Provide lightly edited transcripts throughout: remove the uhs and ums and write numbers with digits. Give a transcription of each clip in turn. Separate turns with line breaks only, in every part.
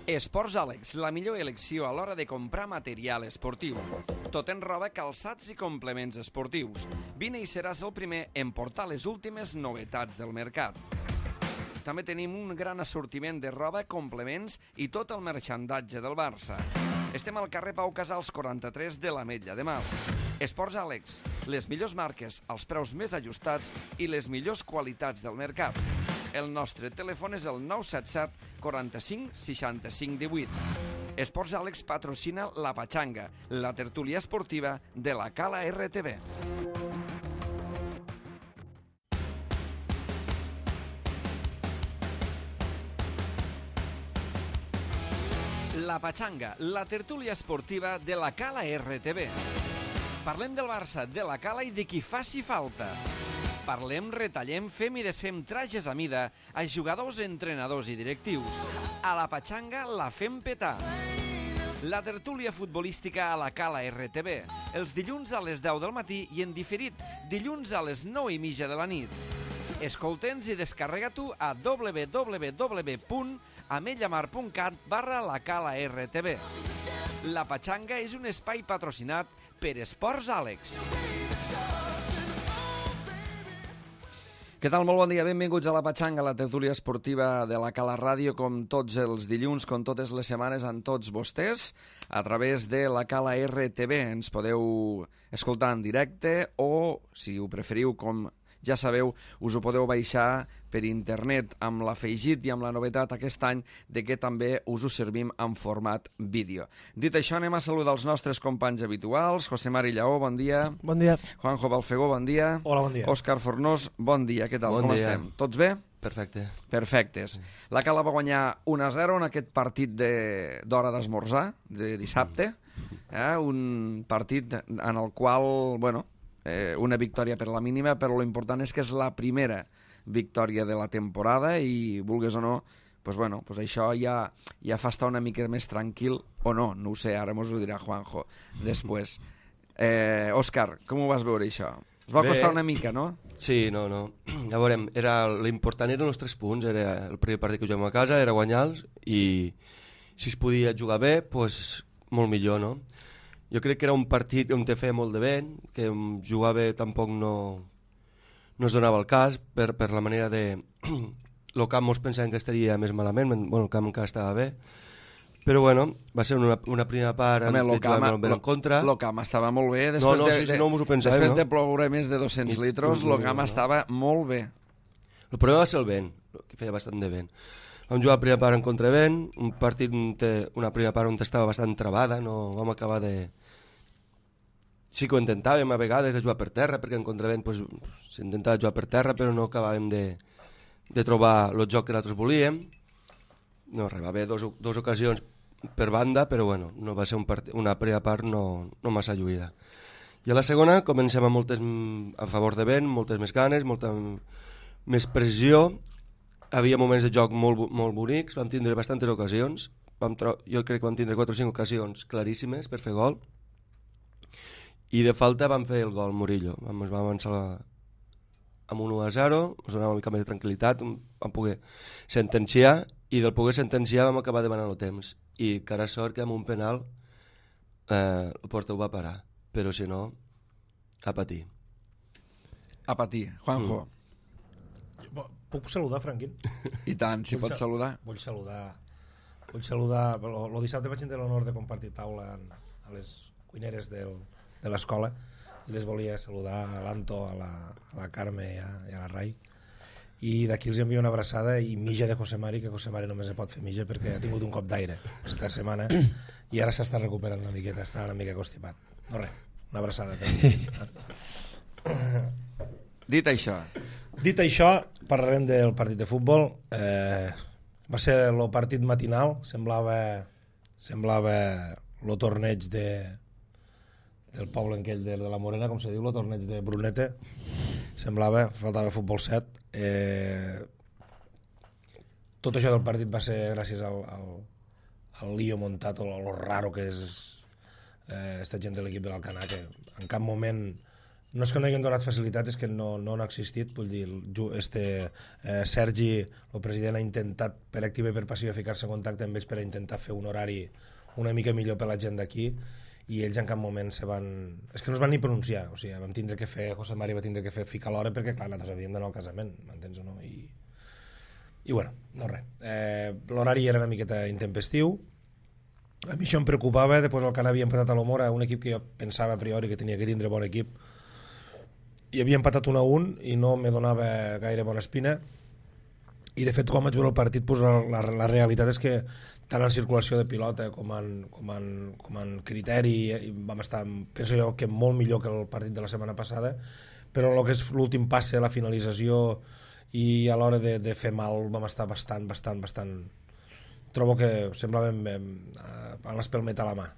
Esports Àlex, la millor elecció a l'hora de comprar material esportiu. Tot en roba, calçats i complements esportius. Vine i seràs el primer en portar les últimes novetats del mercat. També tenim un gran assortiment de roba, complements i tot el marxandatge del Barça. Estem al carrer Pau Casals 43 de l'Ametlla de Mar. Esports Àlex, les millors marques, els preus més ajustats i les millors qualitats del mercat. El nostre telèfon és el 977 45 65 18. Esports Àlex patrocina La Pachanga, la tertúlia esportiva de la Cala RTV. La Pachanga, la tertúlia esportiva de la Cala RTV. Parlem del Barça, de la Cala i de qui faci falta. Parlem, retallem, fem i desfem trajes a mida a jugadors, entrenadors i directius. A la Pachanga la fem petar. La tertúlia futbolística a la Cala RTV. Els dilluns a les 10 del matí i en diferit, dilluns a les 9:30 de la nit. Escolta'ns i descarrega-t'ho a www.ametllamar.cat/la Cala RTV. La Pachanga és un espai patrocinat per Esports Àlex. Què tal? Molt bon dia, benvinguts a La Pachanga, la tertúlia esportiva de la Cala Ràdio, com tots els dilluns, com totes les setmanes, amb tots vostès, a través de la Cala RTV. Ens podeu escoltar en directe o, si ho preferiu, com ja sabeu, us ho podeu baixar per internet amb l'afegit i amb la novetat aquest any de que també us ho servim en format vídeo. Dit això, anem a saludar els nostres companys habituals. José Mari Lleó, bon dia.
Bon dia.
Juanjo Balfegó, bon dia.
Hola, bon dia.
Òscar Fornós, bon dia. Què tal?
Bon
Com
dia.
estem? Tots bé?
Perfecte.
Perfectes. La Cala va guanyar 1-0 en aquest partit d'hora d'esmorzar, de dissabte. Un partit en el qual, bueno, una victòria per la mínima, però l'important és que és la primera victòria de la temporada i, vulgues o no, pues bueno, pues això ja fa estar una mica més tranquil, o no ho sé, ara mos ho dirà Juanjo després. Òscar, com ho vas veure això? Us va costar una mica, no?
Sí, no. Ja veurem, l'important eren els 3 punts, era el primer partit que juguem a casa, era guanyar-los, i si es podia jugar bé, pues, molt millor, no? Jo crec que era un partit on te feia molt de vent, que jugar bé tampoc no es donava el cas per la manera de... El camp mos pensaven que estaria més malament, bueno, el camp encara estava bé, però bueno, va ser una primera part
Home,
que jugàvem molt bé en contra.
El camp estava molt bé.
No, si no mos ho pensàvem,
després
no?
de ploure més de 200 litres, el camp estava molt bé.
El problema va ser el vent, que feia bastant de vent. Vam jugar la primera part en contravent, un partit, una primera part on estava bastant travada, no vam acabar de... Sí que ho intentàvem a vegades de jugar per terra, perquè en contravent pues, s'intentava jugar per terra, però no acabàvem de trobar el joc que nosaltres volíem. No, res, va haver dos ocasions per banda, però bueno, no va ser una primera part no massa lluïda. I a la segona comencem amb moltes a favor de vent, moltes més ganes, molta més pressió. Havia moments de joc molt bonics, vam tindre bastantes ocasions, jo crec que vam tindre 4 o 5 ocasions claríssimes per fer gol, i de falta vam fer el gol Murillo, ens vam avançar amb 1-0, ens donava una mica més de tranquil·litat, vam poder sentenciar, i del poder sentenciar vam acabar demanant el temps, i cara sort que amb un penal el porter ho va parar, però si no, a patir.
A patir. Juanjo.
Puc saludar, Franquín?
I tant, si pots saludar.
Vull saludar. El dissabte vaig tenir l'honor de compartir taula a les cuineres de l'escola i les volia saludar a l'Anto, a la Carme i a la Rai. I d'aquí els envio una abraçada i mija de José Mari, que José Mari només se pot fer mija perquè ha tingut un cop d'aire aquesta setmana i ara s'està recuperant una miqueta, està una mica constipat. No res, una abraçada.
Dit això,
parlarem del partit de futbol. Va ser el partit matinal, semblava el torneig del poble aquell de la Morena, com se diu, el torneig de Brunete. Semblava, faltava futbol 7. Tot això del partit va ser gràcies al lío muntat, o lo raro que és esta gent de l'equip de l'Alcanar, que en cap moment no és que no hagin donat facilitats, és que no han existit. Vull dir, Sergi, el president, ha intentat per activa i per passiva ficar-se en contacte amb ells per intentar fer un horari una mica millor per la gent d'aquí, i ells en cap moment és que no es van ni pronunciar. O sigui, vam tindre que fer, José Mari va tindre que ficar l'hora perquè, clar, nosaltres havíem d'anar al casament, m'entens o no? I bueno, no res. L'horari era una miqueta intempestiu. A mi això em preocupava. Després el Can havia empatat a l'Omora, un equip que jo pensava a priori que tenia que tindre bon equip, i havia empatat 1-1 i no me donava gaire bona espina. I de fet, quan vaig veure el partit, pues, la realitat és que tant en circulació de pilota com en criteri vam estar, penso jo, que molt millor que el partit de la setmana passada, però el que és l'últim passe, la finalització i a l'hora de fer mal vam estar bastant trobo que semblàvem amb l'espelmet a la mà.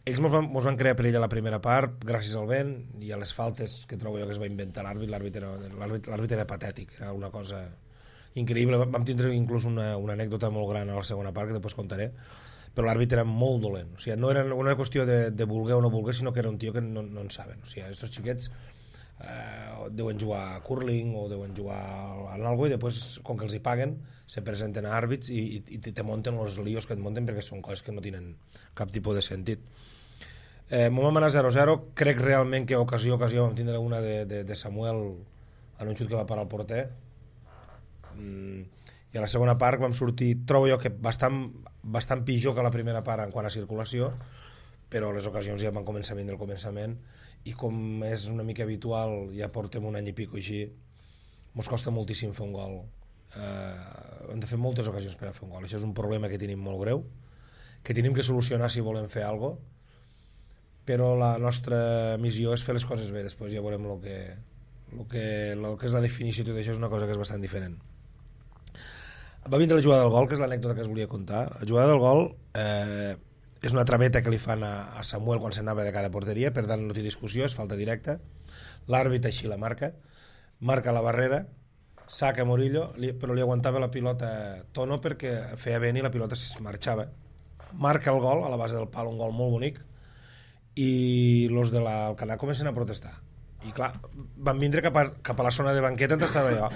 Ells mos van crear perill a la primera part gràcies al vent i a les faltes que trobo jo que es va inventar l'àrbit era patètic, era una cosa increïble. Vam tindre inclús una anècdota molt gran a la segona part que després contaré, però l'àrbit era molt dolent. O sigui, no era una qüestió de voler o no voler, sinó que era un tio que no en saben. O sigui, aquests xiquets deuen jugar a curling o deuen jugar a algo, i després, com que els hi paguen, se presenten a àrbits i te munten els líos que et munten, perquè són coses que no tenen cap tipus de sentit. M'ho vam anar 0-0. Crec realment que ocasió vam tindre una de Samuel en un xut que va parar el porter, i a la segona part vam sortir, trobo jo que bastant pitjor que la primera part en quant a circulació, però les ocasions ja van començar a vindre al començament, i com és una mica habitual, ja portem un any i pico així, mos costa moltíssim fer un gol. Hem de fer moltes ocasions per a fer un gol. Això és un problema que tenim molt greu, que tenim que solucionar si volem fer alguna cosa, però la nostra missió és fer les coses bé. Després ja veurem el que és la definició, tot això és una cosa que és bastant diferent. Va vindre la jugada del gol, que és l'anècdota que us volia contar. La jugada del gol és una trameta que li fan a Samuel quan s'anava de cada porteria, per tant no té discussió, és falta directa. L'àrbit així la marca la barrera, saca Murillo, però li aguantava la pilota Tono perquè feia vent i la pilota es marxava. Marca el gol a la base del pal, un gol molt bonic, i els de l'Alcanar comencen a protestar. I clar, van vindre cap a la zona de banqueta on estava jo,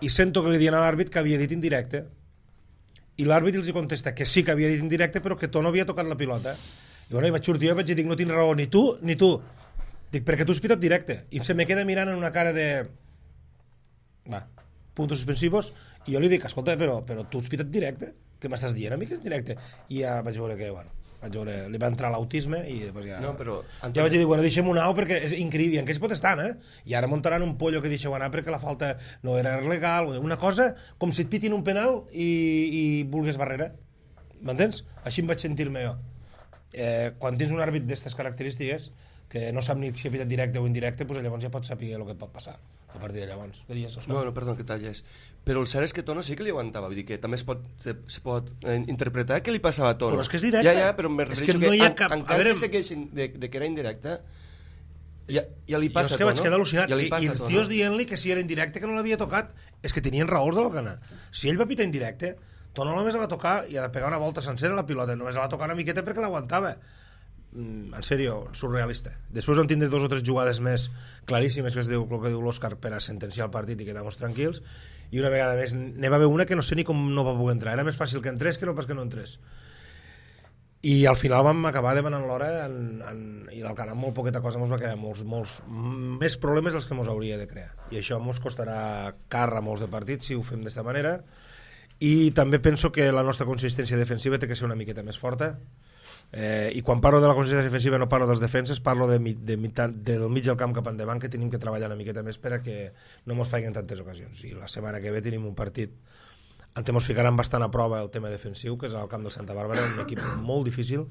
i sento que li diuen a l'àrbit que havia dit indirecte, i l'àrbit els contesta que sí que havia dit indirecte, però que Tono havia tocat la pilota. I bueno, vaig sortir jo i vaig dir, no tens raó, ni tu. Dic, perquè tu has pitat directe. I se me queda mirant en una cara de... puntos suspensivos, i jo li dic, escolta, però tu has pitat directe? Què m'estàs dient a mi que és directe? I ja vaig veure que, li va entrar l'autisme i després ja...
No, però...
Ja vaig dir, deixem-ho anar perquè és increïble, i en què es pot estar, I ara muntaran un pollo que deixeu anar perquè la falta no era legal, una cosa com si et pitin un penal i vulgues barrera, m'entens? Així em vaig sentir-me jo. Quan tens un àrbit d'aquestes característiques que no sap ni si ha pitat directe o indirecte, doncs llavors ja pots saber el que pot passar a partir de llavors.
No, perdó, que talles. Però el cert és que Tono sí que li aguantava, vull dir que també se pot interpretar què li passava a Tono.
Però és que és directe.
Ja, però me refereixo
que no hi ha cap...
encara que segueixin de que era indirecte, ja li passa a Tono.
Jo és que vaig quedar al·lucinat, i els tios dient-li que si era indirecte que no l'havia tocat, és que tenien raons de l'Alcanar. Si ell va pitar indirecte, Tono només la va tocar i ha de pegar una volta sencera a la pilota, només la va tocar una miqueta perquè l'aguantava. En sèrio, surrealista. Després vam tindre 2 o 3 jugades més claríssimes, que es diu el que diu l'Òscar, per a sentenciar el partit i quedar-nos tranquils, i una vegada més n'hi va haver una que no sé ni com no va poder entrar, era més fàcil que entrés que no pas que no entrés, i al final vam acabar demanant l'hora i l'Alcanar amb molt poqueta cosa ens va crear molts més problemes dels que ens hauria de crear, i això ens costarà car a molts de partits si ho fem d'aquesta manera. I també penso que la nostra consistència defensiva té que ser una miqueta més forta. I quan parlo de la consistència defensiva no parlo dels defenses, parlo del mig del camp cap endavant, que tenim que treballar una miqueta més per a que no ens facin tantes ocasions. I la setmana que ve tenim un partit on ens ficaran bastant a prova el tema defensiu, que és al camp del Santa Bàrbara, un equip molt difícil,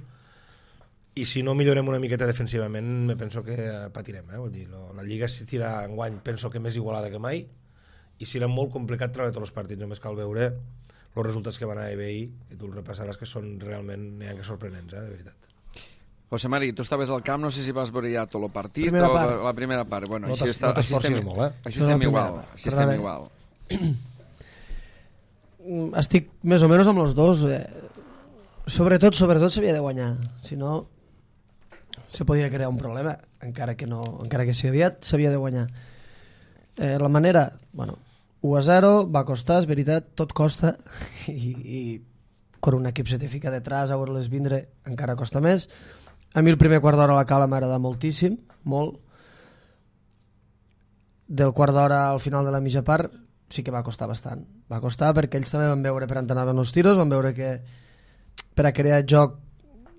i si no millorem una miqueta defensivament me penso que patirem. Vull dir, la Lliga s'estirà enguany, penso que més igualada que mai, i serà molt complicat treure tots els partits. Només cal veure els resultats que van haver ahir, i tu els repassaràs, que són realment que sorprenents, de veritat.
José Mari, tu estaves al camp, no sé si vas veure ja tot el partit
o
la primera part. Bueno,
no t'esforcis molt,
Així estem igual.
Estic més o menys amb els dos. Sobretot s'havia de guanyar. Si no, se podia crear un problema, encara que sigui aviat, s'havia de guanyar. La manera, bueno, 1-0, va costar, és veritat, tot costa, i quan un equip se te fica detrás a veure-les vindre encara costa més. A mi el primer quart d'hora a la Cala m'agrada moltíssim, molt. Del quart d'hora al final de la mitja part sí que va costar bastant. Va costar perquè ells també van veure per on anaven els tiros, van veure que per a crear joc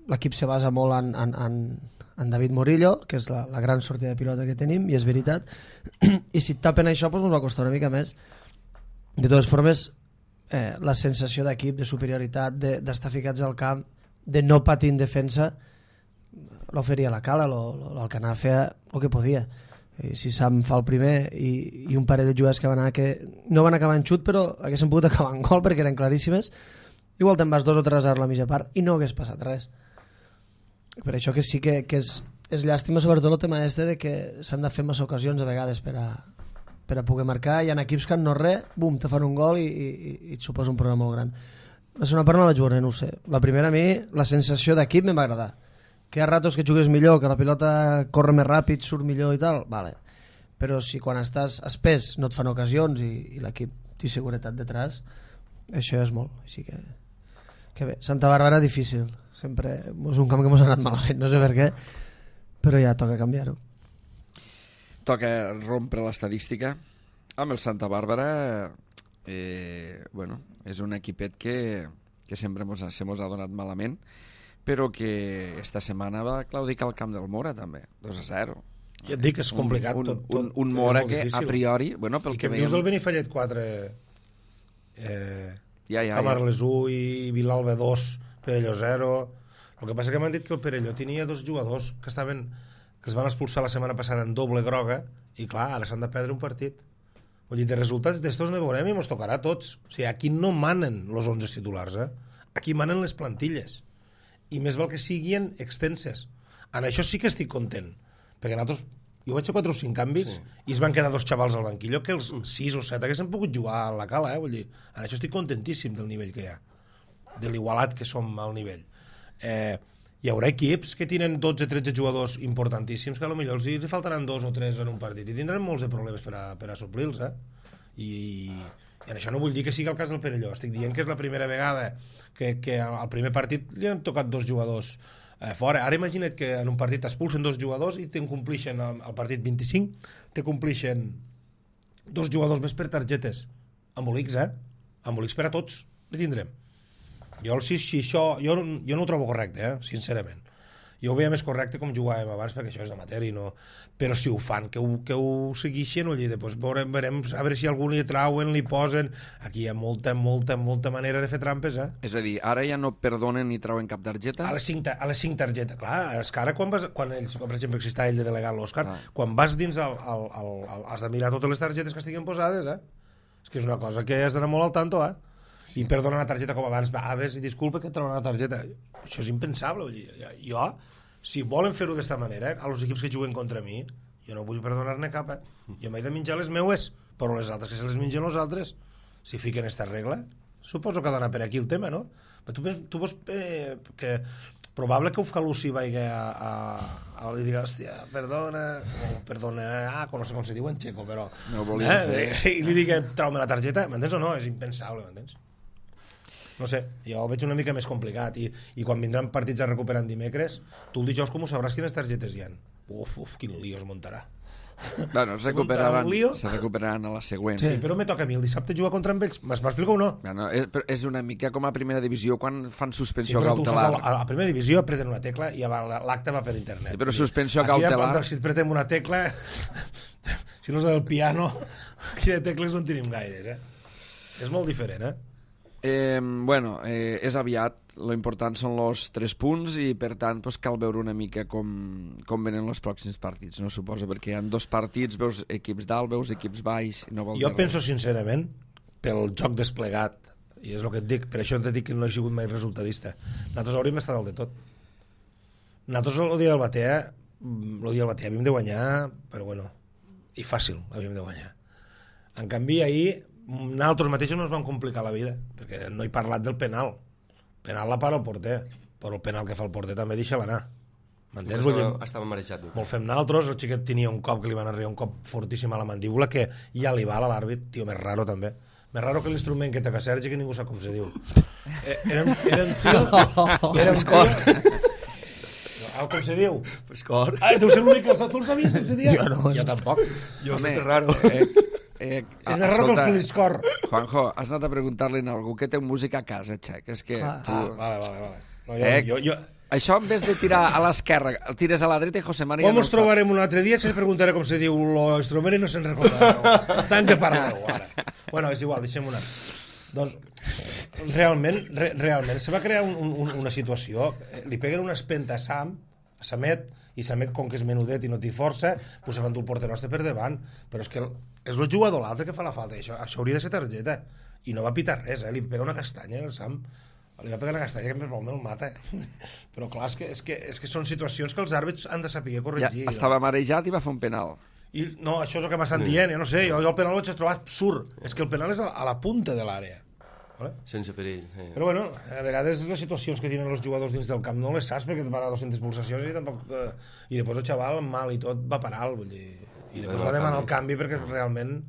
l'equip se basa molt en David Morillo, que és la gran sortida de pilota que tenim, i és veritat. I si et tapen això, doncs ens va costar una mica més. De totes formes, la sensació d'equip, de superioritat, d'estar ficats al camp, de no patir en defensa, l'oferia la Cala, l'Alcanar feia el que podia. I si Sam fa el primer i un parell de jugades que van anar que no van acabar en xut, però haguessin pogut acabar en gol perquè eren claríssimes, igual te'n vas 2 o 3 a la mitja part i no hagués passat res. Per això que sí que és llàstima, sobretot el tema de que s'han de fer massa ocasions a vegades per a poder marcar. Hi ha equips que no res, bum, te fan un gol i et suposa un problema molt gran. La segona part no la vaig veure, no ho sé. La primera, a mi, la sensació d'equip em va agradar. Que hi ha ratos que jugues millor, que la pilota corre més ràpid, surt millor i tal, vale. Però si quan estàs espès no et fan ocasions i l'equip té seguretat detrás, això és molt. Així que bé, Santa Bàrbara difícil, sempre és un camp que ens ha anat malament, no sé per què, però ja toca canviar-ho.
Toca rompre l'estadística amb el Santa Bàrbara. Bueno, és un equipet que sempre se mos ha donat malament, però que esta setmana va claudicar al camp del Mora també, 2-0.
Ja et dic que és complicat
un Mora que a priori, bueno, pel
i que
que
em dius del Benifallet 4 Camarles 1 i Vilalba 2, Perelló 0. El que passa que m'han dit que el Perelló tenia 2 jugadors que els van expulsar la setmana passada en doble groga i clar, ara s'han de perdre un partit. Vull dir, de resultats d'estos ne veurem i ens tocarà a tots. O sigui, aquí no manen els 11 titulars, aquí manen les plantilles. I més val que siguin extenses. En això sí que estic content, perquè nosaltres, jo vaig fer 4 o 5 canvis i es van quedar 2 xavals al banquillo que els 6 o 7 haguessin pogut jugar a la Cala, vull dir, en això estic contentíssim del nivell que hi ha, de l'igualat que som al nivell. Hi haurà equips que tenen 12-13 jugadors importantíssims que potser els faltaran 2 o 3 en un partit i tindran molts de problemes per a suplir-los, i en això no vull dir que sigui el cas del Perelló, estic dient que és la primera vegada que al primer partit li han tocat 2 jugadors fora. Ara imagina't que en un partit t'expulsen 2 jugadors i te'n complixen al partit 25, te complixen 2 jugadors més per targetes embolics, embolics per a tots li tindrem. Jo no ho trobo correcte, sincerament. Jo ho veia més correcte com jugàvem abans, perquè això és amateur i no... Però si ho fan, que ho segueixen, doncs veurem a veure si algú li trauen, li posen... Aquí hi ha molta manera de fer trampes,
És a dir, ara ja no perdonen ni trauen cap targeta?
A les 5 targetes, clar, és que ara quan ells, per exemple, si està ell de delegat l'Òscar, quan vas dins has de mirar totes les targetes que estiguin posades, És que és una cosa que has d'anar molt al tanto, I perdonar una targeta com abans, a veure si disculpa que et treuen una targeta. Això és impensable. Jo, si volen fer-ho d'esta manera, als equips que juguen contra mi, jo no vull perdonar-ne cap. Jo m'he de menjar les meues, però les altres que se les mengen els altres. Si fiquen esta regla, suposo que ha d'anar per aquí el tema, no? Però tu veus que probable que Ufkalusi vagi a li diga, hòstia, perdona, no sé com se diu en txeco, però...
No volia fer...
I li digui, trau-me la targeta, m'entens o no? És impensable, m'entens? No sé, jo ho veig una mica més complicat i quan vindran partits a recuperar en dimecres, tu el dijous com ho sabràs quines targetes hi ha. Uf, quin lío es muntarà.
Bueno, se recuperaran a la següent.
Sí, però me toca a mi el dissabte jugar contra ells. M'explico o no?
Bueno, és una mica com a primera divisió quan fan suspensió
cautelar.
Sí,
a la primera divisió apreten una tecla i l'acte va per internet.
Sí, però suspensió cautelar...
Aquí si apretem una tecla, si no és del piano, aquí de tecles no en tenim gaires, És molt diferent,
Bueno, és aviat, lo important són els 3 punts i per tant pues, cal veure una mica com venen els pròxims partits, no suposo, perquè hi ha 2 partits, veus equips dalt, veus equips baix i no vol dir
jo penso sincerament, pel joc desplegat, i és el que et dic, per això et dic que no he sigut mai resultadista, nosaltres hauríem estat dalt de tot. Nosaltres el dia del Batea havíem de guanyar, però bueno, i fàcil havíem de guanyar. En canvi ahir nosaltres mateixos no ens vam complicar la vida, perquè no he parlat del penal la para el porter, però el penal que fa el porter també deixa-la anar, M'entens? Vull dir,
Estava marejat.
molt fem naltros, el xiquet tenia un cop que li van arribar un cop fortíssim a la mandíbula que ja li val a l'àrbit, tio, més raro també. Més raro que l'instrument que toca Sergi, que ningú sap com se diu. Era un tio... Era un tio... Com se diu?
Escor.
Deu ser l'únic que tu el sabies com se dia?
Jo no.
Jo tampoc.
Jo sé que és raro.
És més raro que el Filiscor.
Juanjo, has anat a preguntar-li a algú que té música a casa, xec. És que tu...
Vale. No, jo...
Això, en vez de tirar a l'esquerra, el tires a la dreta i José María...
Com ens trobarem un altre dia, se preguntaré com se diu l'instrument i no se'n recordarà. Tant que parleu, ara. Bueno, és igual, deixem una. Doncs, realment, se va crear una situació, li peguen una espenta a Samet, i Samet, com que és menudet i no té força, pues se va endur el porter nostre per davant. Però és que és el jugador l'altre que fa la falta, això hauria de ser targeta. I no va pitar res, li pega una castanya al Sam. Li va pegar una castanya que més mal me'l mata. Però clar, és que són situacions que els àrbits han de saber corregir.
Ja, estava marejat i va fer un penal.
I, no, això és el que m'estan dient, jo no sé, jo el penal ho vaig trobar absurd. És que el penal és a la punta de l'àrea. Vale?
Sense perill.
Però bueno, a vegades les situacions que tenen els jugadors dins del camp no les saps perquè et van a 200 pulsacions i tampoc... I després el xaval mal i tot va parar, vull dir... I després va demanar el canvi perquè realment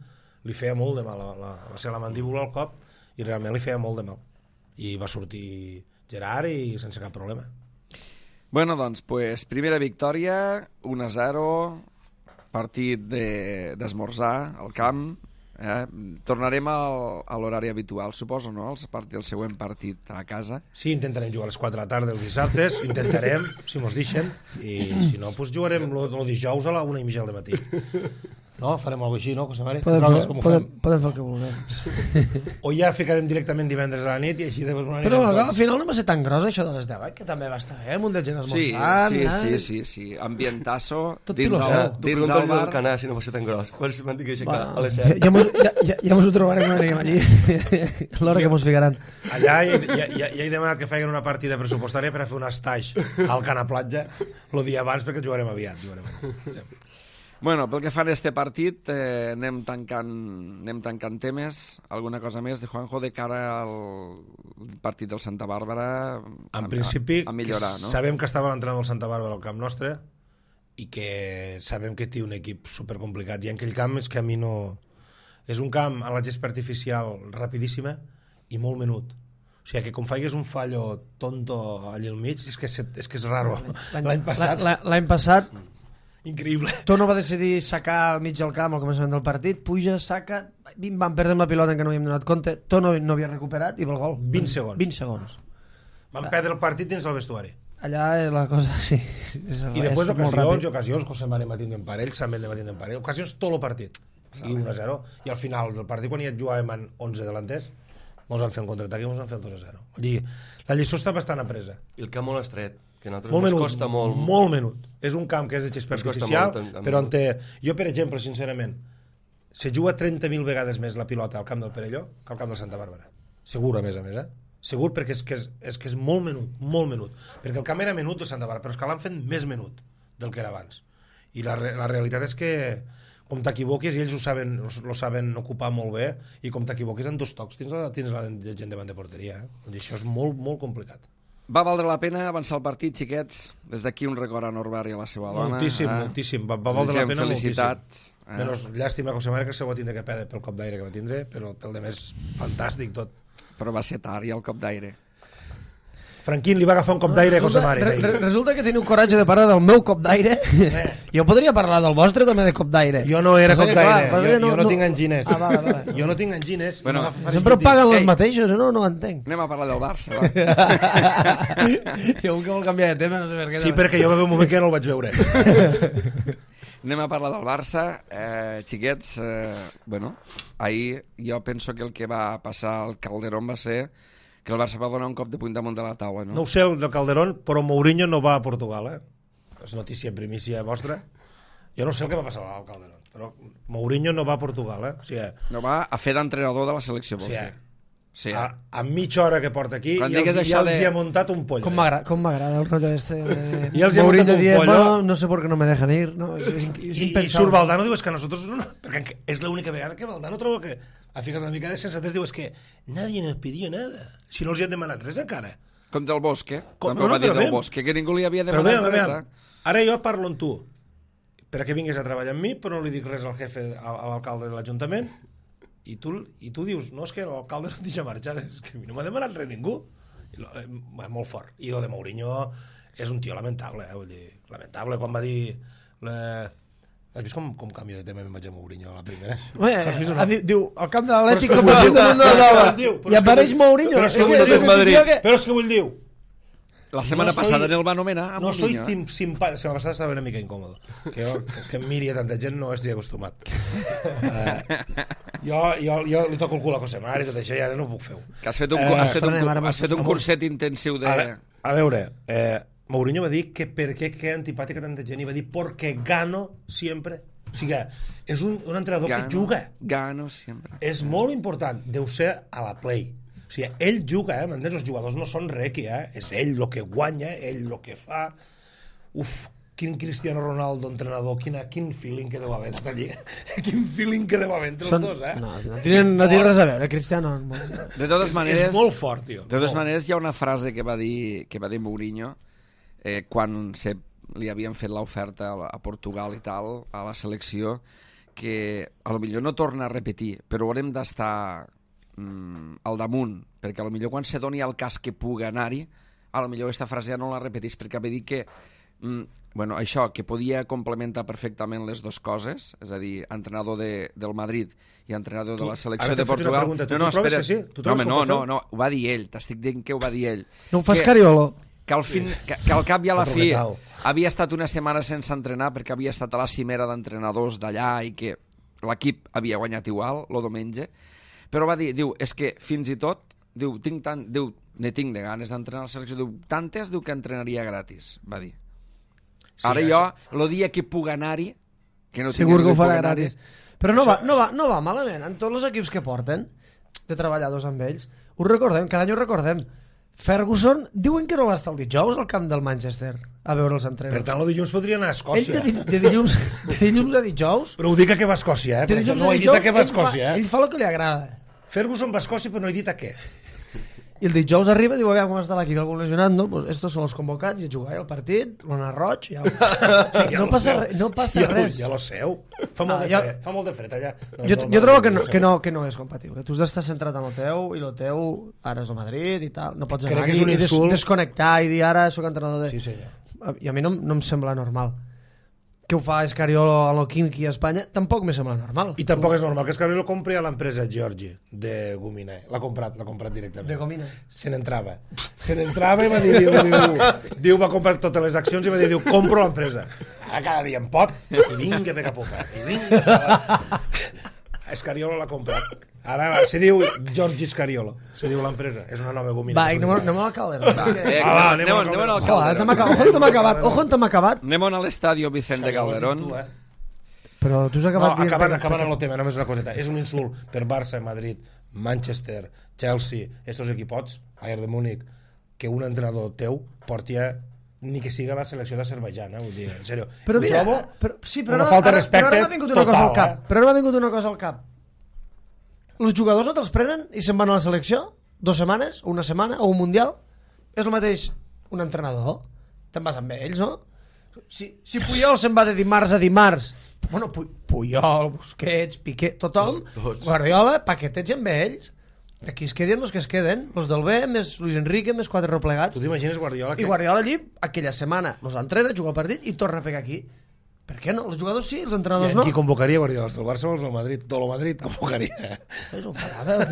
li feia molt de mal va ser la mandíbula al cop i realment li feia molt de mal. I va sortir Gerard i sense cap problema.
Bueno, doncs, primera victòria, 1-0, partit d'esmorzar al camp. Tornarem a l'horari habitual, suposo, no? El següent partit a casa.
Sí, intentarem jugar a les 4 de la tarda els dissabtes, intentarem, si mos deixen, i si no, doncs jugarem el dijous a la 1:30 del matí. No? Farem alguna cosa així, no, José Mari?
Podem fer el que vulguem.
O ja ficarem directament divendres a la nit i així després m'ho anirem.
Però al final no va ser tan gros això de les 10, que també va estar bé, un de gent esmorzant.
Sí. Ambientasso.
Tot
dins
el bar. Canà, si no va ser tan gros. M'han dit que aixecar a les 7.
Ja mos ho trobarem quan anirem allí. L'hora que mos ficaran.
Allà ja he demanat que facin una partida pressupostària per a fer un estatge al Cana Platja el dia abans perquè jugarem aviat.
Bueno, pel que fa a este partit, anem tancant temes. Alguna cosa més de Juanjo de cara al partit del Santa Bàrbara?
En principi,
a millorar, no?
Sabem que estava l'entrenador del Santa Bàrbara al camp nostre i que sabem que té un equip supercomplicat. I en aquell camp és que a mi no... És un camp a la gespa artificial rapidíssima i molt menut. O sigui, que com faigues un fallo tonto allà al mig, és que és raro.
L'any passat
increïble.
Tono va decidir sacar al mig del camp al començament del partit, puja, saca, van perdre la pilota en què no havíem donat compte, Tono no havia recuperat i el gol.
20 segons.
20 segons.
Van perdre el partit dins el vestuari.
Allà la cosa, sí.
I després ocasions, José María va tindre en parell, Samet va tindre en parell, ocasions tot el partit. I 1-0. I al final del partit, quan ja jugàvem en 11 delanters, ens van fer un contraatac i ens van fer el 2-0. Vull dir, la lliçó està bastant apresa.
I el camp molt estret, que a nosaltres
molt
ens costa molt.
Molt menut. És un camp que és de gespa artificial, però on té... Jo, per exemple, sincerament, se juga 30.000 vegades més la pilota al camp del Perelló que al camp del Santa Bàrbara. Segur, a més, Segur, perquè és que és molt menut. Perquè el camp era menut del Santa Bàrbara, però és que l'han fet més menut del que era abans. I la realitat és que com t'equivoquis, i ells ho saben ocupar molt bé, i com t'equivoquis en 2 tocs tens la gent davant de porteria. I això és molt, molt complicat.
Va valdre la pena avançar el partit, xiquets? Des d'aquí un record a Norberg i a la seva dona.
Moltíssim. Va valdre la pena
felicitat.
Moltíssim. Menos llàstima que José María que se ho va tindre que perdre pel cop d'aire que va tindre, però pel de més fantàstic tot.
Però va ser tard, ja el cop d'aire.
Franquín li va agafar un cop d'aire a José María.
Resulta que teniu coratge de parlar del meu cop d'aire. Jo podria parlar del vostre també de cop d'aire.
Jo no era cop d'aire, jo no tinc angines.
Vale.
Jo no tinc angines.
Bueno,
sempre paguen els mateixos, no entenc.
Anem a parlar del Barça, va.
Jo que vol canviar de tema, no sé per què.
Sí, perquè jo va haver un moment que no el vaig veure.
Anem a parlar del Barça. Xiquets, ahir jo penso que el que va passar al Calderón va ser que el Barça va donar un cop de puny damunt de la taula, no?
No ho sé, el del Calderón, però Mourinho no va a Portugal, És notícia primícia vostra. Jo no sé el que va passar al Calderón, però Mourinho no va a Portugal, O sigui,
no va a fer d'entrenador de la selecció, vols dir? Sí,
a mitja hora que porta aquí ja els hi ha muntat un pollo.
Com m'agrada el rotllo este
i els hi ha muntat un pollo.
No sé por qué no me dejan ir. No,
I surt Valdano, diu, és que a nosotros no, perquè és l'única vegada que Valdano troba que ha ficat una mica de sensatez, diu, és que nadie nos pidió nada. Si no els hi han demanat res encara.
Com del Bosque, també ho va dir del Bosque, que ningú li havia demanat res.
Ara jo parlo amb tu perquè vinguis a treballar amb mi, però no li dic res al jefe, a l'alcalde de l'Ajuntament, i tu dius, no, és que l'alcalde no em deixa marxar, és que no m'ha demanat res ningú. Molt fort. I lo de Mourinho és un tio lamentable, vull dir, lamentable. Quan va dir... Has vist com canvio de tema me'n vaig a Mourinho a la primera?
Diu, al camp de l'Atlètic i apareix Mourinho.
Però és que vull dir...
La setmana passada no el va anomenar a
no
Mourinho.
soy simpàtic. La setmana passada estava una mica incòmodo. Que em miri a tanta gent no estic acostumat. Jo li toco el cul a Cosemar i tot això i ara no ho puc fer.
Que has fet un curset intensiu de...
A veure, Mourinho va dir que per què queda antipàtica tanta gent i va dir porque gano siempre. O sigui, és un entrenador que juga.
Gano sempre.
És molt important. Deu ser a la play. O sigui, ell juga, m'entens? Els jugadors no són requi, és ell el que guanya, ell el que fa. Uf, quin Cristiano Ronaldo entrenador, quin feeling que deu haver allí. Quin feeling que deu haver entre els dos,
No tenen res a veure, Cristiano.
De totes maneres,
és molt fort, tio.
De totes maneres, hi ha una frase que va dir Mourinho quan li havien fet l'oferta a Portugal i tal, a la selecció, que a lo millor no torna a repetir, però haurem d'estar al damunt, perquè a lo millor quan se doni el cas que pugui anar-hi, a lo millor aquesta frase ja no la repetís, perquè va dir que això, que podia complementar perfectament les dues coses, és a dir, entrenador del Madrid i entrenador de la selecció de Portugal.
No, espera.
No, ho va dir ell, t'estic dient que ho va dir ell.
No ho fas Cariolo?
Que al cap i a la fi havia estat una setmana sense entrenar perquè havia estat a la cimera d'entrenadors d'allà i que l'equip havia guanyat igual, el diumenge, però va dir, és que fins i tot, ne tinc de ganes d'entrenar a la selecció, tantes, que entrenaria gratis, va dir. Ara jo, el dia que puc anar-hi, que no
segur que ho farà gratis. Però no va malament, en tots els equips que porten, de treballadors amb ells, ho recordem, cada any ho recordem. Ferguson diuen que no va estar el dijous al camp del Manchester a veure els entrenadors.
Per tant, el dilluns podria anar a Escòcia.
Ell de dilluns a dijous...
Però ho dic a què va a Escòcia, no he dit a què va a Escòcia.
Ell fa el que li agrada.
Ferguson va a Escòcia, però no he dit a què.
I el dijous arriba i diu, aviam com està l'equip, algun lesionat, no? Pues estos són els convocats, i a jugar el partit, l'Ona Roig, ja no passa res.
Ja lo seu. Fa molt de fred allà.
Jo trobo que no és compatible. Tu has d'estar centrat en el teu, i el teu ara és el Madrid i tal. No pots anar aquí i desconnectar i dir ara soc entrenador de...
Sí, senyor.
I a mi no em sembla normal. Que ho fa Escariolo a l'Oquinqui a Espanya, tampoc me sembla normal.
I tampoc és normal que Escariolo compri a l'empresa Giorgi de Gomina. L'ha comprat directament.
De Gomina.
Se n'entrava i va dir, diu, va comprar totes les accions i va dir, compro l'empresa. Cada dia em pot, i vinga, pega poca. I vinga. Escariolo l'ha comprat. Ara se diu Giorgi Scariolo, se diu l'empresa, és una nova Gomina.
Va, anem a Calderón.
Anem al Calderón.
Ojo, on t'hem acabat.
Anem a l'estadi Vicente Calderón.
Però tu has acabat...
No, acabant el tema, només una coseta. És un insult per Barça, Madrid, Manchester, Chelsea, estos equipots, Bayern de Múnich, que un entrenador teu porti ni que siga la selecció d'Azerbaidjan, vull dir, en sèrio.
Però mira,
una falta de respecte total.
Però ara m'ha vingut una cosa al cap. Els jugadors no te'ls prenen i se'n van a la selecció 2 setmanes, o una setmana, o un mundial. És el mateix un entrenador. Te'n vas amb ells, no? Si Puyol se'n va de dimarts a dimarts, bueno, Puyol, Busquets, Piqué, tothom, Guardiola, paquetets amb ells. Aquí es queden els que es queden, els del B, més Luis Enrique, més 4 replegats.
Tu t'imagines Guardiola?
I Guardiola allí, aquella setmana, els entrena, juga el partit i torna a pegar aquí. Per què no? Els jugadors sí, els entrenadors no.
I qui convocaria Guardiola? Els del Barça o els del Madrid? Tot el Madrid convocaria.
És un farada.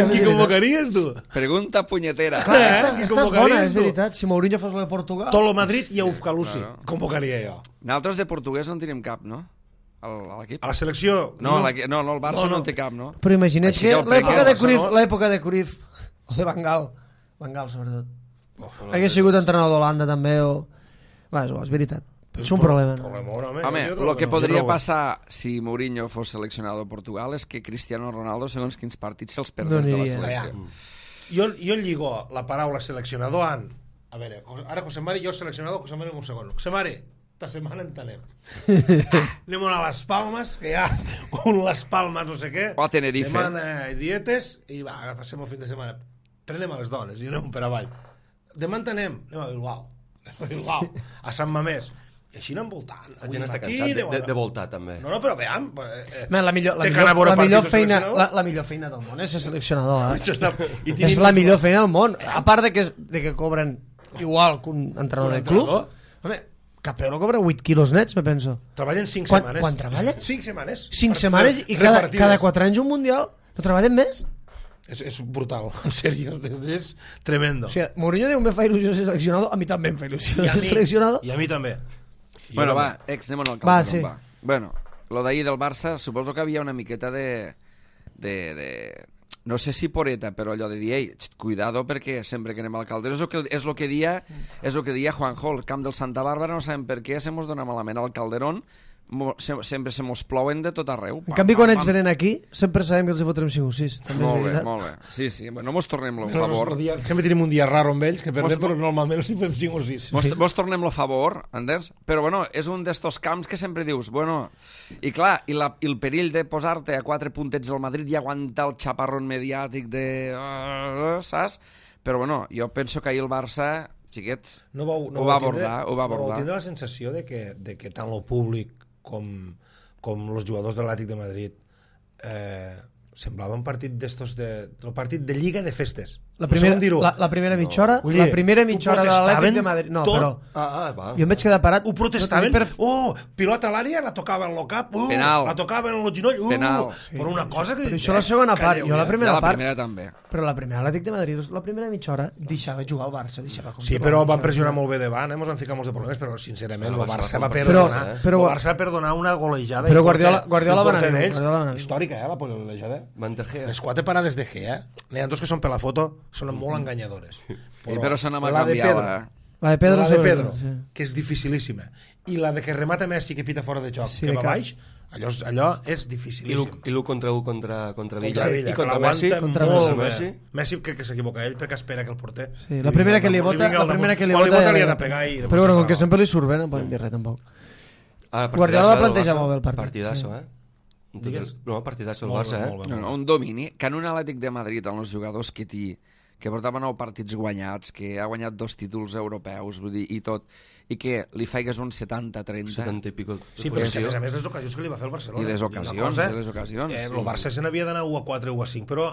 Qui
convocaries, tu?
Pregunta punyetera.
Estàs bona, és veritat. Si Mourinho fos el de Portugal...
Tot el Madrid i Ufkalusi. Convocaria jo.
Nosaltres de portuguès no en tenim cap, no? A l'equip?
A la selecció?
No, el Barça no en té cap, no?
Però imagina't que l'època de Cruyff, o de Van Gaal sobretot, hagués sigut entrenador d'Holanda també, o... És veritat. És un problema.
Home, el que podria passar si Mourinho fos seleccionador de Portugal és que Cristiano Ronaldo, segons quins partits, se'ls perdés de la selecció.
Jo lligo la paraula seleccionador a veure, ara Josemari, jo seleccionador, Josemari en un segon. Josemari, esta setmana en tenem. Anem a les Palmes, que hi ha un Les Palmes no sé què.
O a Tenerife.
Demana dietes i passem el fin de setmana. Prenem a les dones i anem per avall. Demà en tenem. Anem a Bilbao. a Sant Mamés. I així anant voltant.
La gent està cansat de voltar, també.
No, però veiem...
La millor feina del món és ser seleccionador. És la millor feina del món. A part de que cobren igual que un entrenador del club. Home, Capello cobra 8 quilos nets, me penso.
Treballen 5 setmanes.
Quan treballen?
5 setmanes.
5 setmanes i cada 4 anys un mundial. No treballen més?
És brutal, en sèrio, és tremendo.
O sigui, Mourinho diu, me fa il·lusió ser seleccionador, a mi també em fa il·lusió ser seleccionador.
I a mi també.
Bueno, va, anem al Calderón, va. Bueno, lo d'ahir del Barça, suposo que havia una miqueta de no sé si poreta, però allò de dir, ei, cuidado, perquè sempre que anem al Calderón és lo que dia Juanjo, el camp del Santa Bàrbara, no sabem per què se mos dona malament al Calderón, sempre se mos plouen de tot arreu.
En canvi, quan ells venen aquí, sempre sabem que els hi fotrem 5 o 6.
Molt bé. Sí, no mos tornem lo favor.
Sempre tenim un dia raro amb ells, que perdem, però normalment els hi fem 5 o 6.
Mos tornem lo favor, Anders, però bueno, és un d'estos camps que sempre dius, bueno, i clar, i el perill de posar-te a 4 puntets al Madrid i aguantar el xaparrón mediàtic de... saps? Però bueno, jo penso que ahir el Barça, xiquets, ho va abordar.
No vau tindre la sensació de que tant lo públic com els jugadors de l'Atlètic de Madrid semblava un partit d'estos el partit de Lliga de festes. La
primera mitja hora de l'Atlètic de Madrid. No, però jo em vaig quedar parat.
Ho protestaven. Pilota a l'àrea, la tocava en el cap, la tocava en el genoll, però una cosa que...
Però això la segona part, jo la primera part.
La primera també.
Però la primera Atlètic de Madrid, la primera mitja hora deixava jugar al Barça.
Sí, però van pressionar molt bé davant, ens van ficar molts de problemes, però sincerament el Barça va perdonar una golejada.
Però Guardiola va anar
històrica, la golejada.
Mantergea.
Les 4 parades de Gea, n'hi ha dos que són per la foto, són molt enganyadores.
Però se n'ha canviat,
La de Pedro,
que és dificilíssima. I la de que remata Messi, que pita fora de joc, que va baix, allò és dificilíssim.
I l'1 contra 1 contra Villa.
I
contra Messi.
Messi crec que s'equivoca ell perquè espera que el porter...
La primera que li vota...
li ha de pegar i...
Però bueno, com que sempre li surt bé, no podem dir res tampoc. Guardiola va plantejar molt bé el partit.
Partidasso, No, partidasso el Barça,
un domini, que en un Atlètic de Madrid, amb els jugadors que portava 9 partits guanyats, que ha guanyat 2 títols europeus, vull dir, i tot, i que li faigues un 70-30...
70 i pico.
Sí, però és que a més les ocasions que li va fer el Barcelona.
I les ocasions.
El Barça se n'havia d'anar 1-4, 1-5, però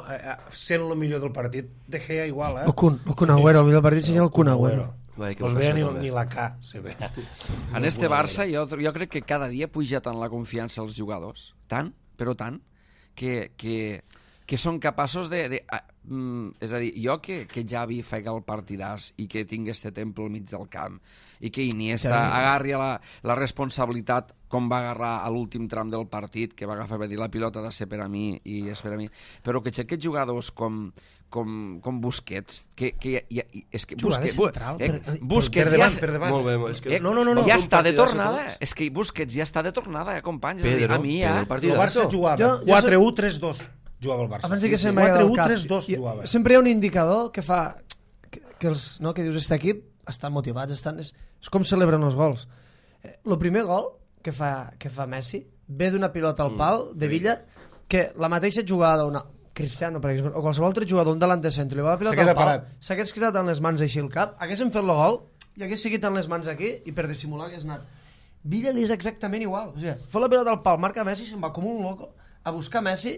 sent el millor del partit, De Gea igual,
El Kun Agüero, el millor partit seria el Kun Agüero.
No es veia ni la K, se ve.
En este Barça jo crec que cada dia puja tant la confiança als jugadors, tant, que són capaços de és a dir, jo que Xavi faig el partidàs i que tingui este temple al mig del camp i que Iniesta agarri la responsabilitat com va agarrar a l'últim tram del partit, que va agafar, va dir la pilota ha de ser per a mi i és per a mi, però que aquests jugadors com Busquets, que és que Busquets ja està de tornada, és que Busquets ja està de tornada, companys,
el Barça jugava 4-1, 3-2 jugava el Barça.
Abans que se'm va el cap. Sempre hi ha un indicador que fa que dius, aquest equip estan motivats, és com celebren els gols. El primer gol que fa Messi ve d'una pilota al pal de Villa, que la mateixa jugada Cristiano, per exemple, o qualsevol altre jugador, un delant de centre, li va la pilota al pal, s'hagués cridat amb les mans així al cap, haguessin fet el gol i hagués seguit amb les mans aquí i per dissimular hagués anat. Villa li és exactament igual, o sigui, fa la pilota al pal, marca Messi, se'n va com un loco a buscar Messi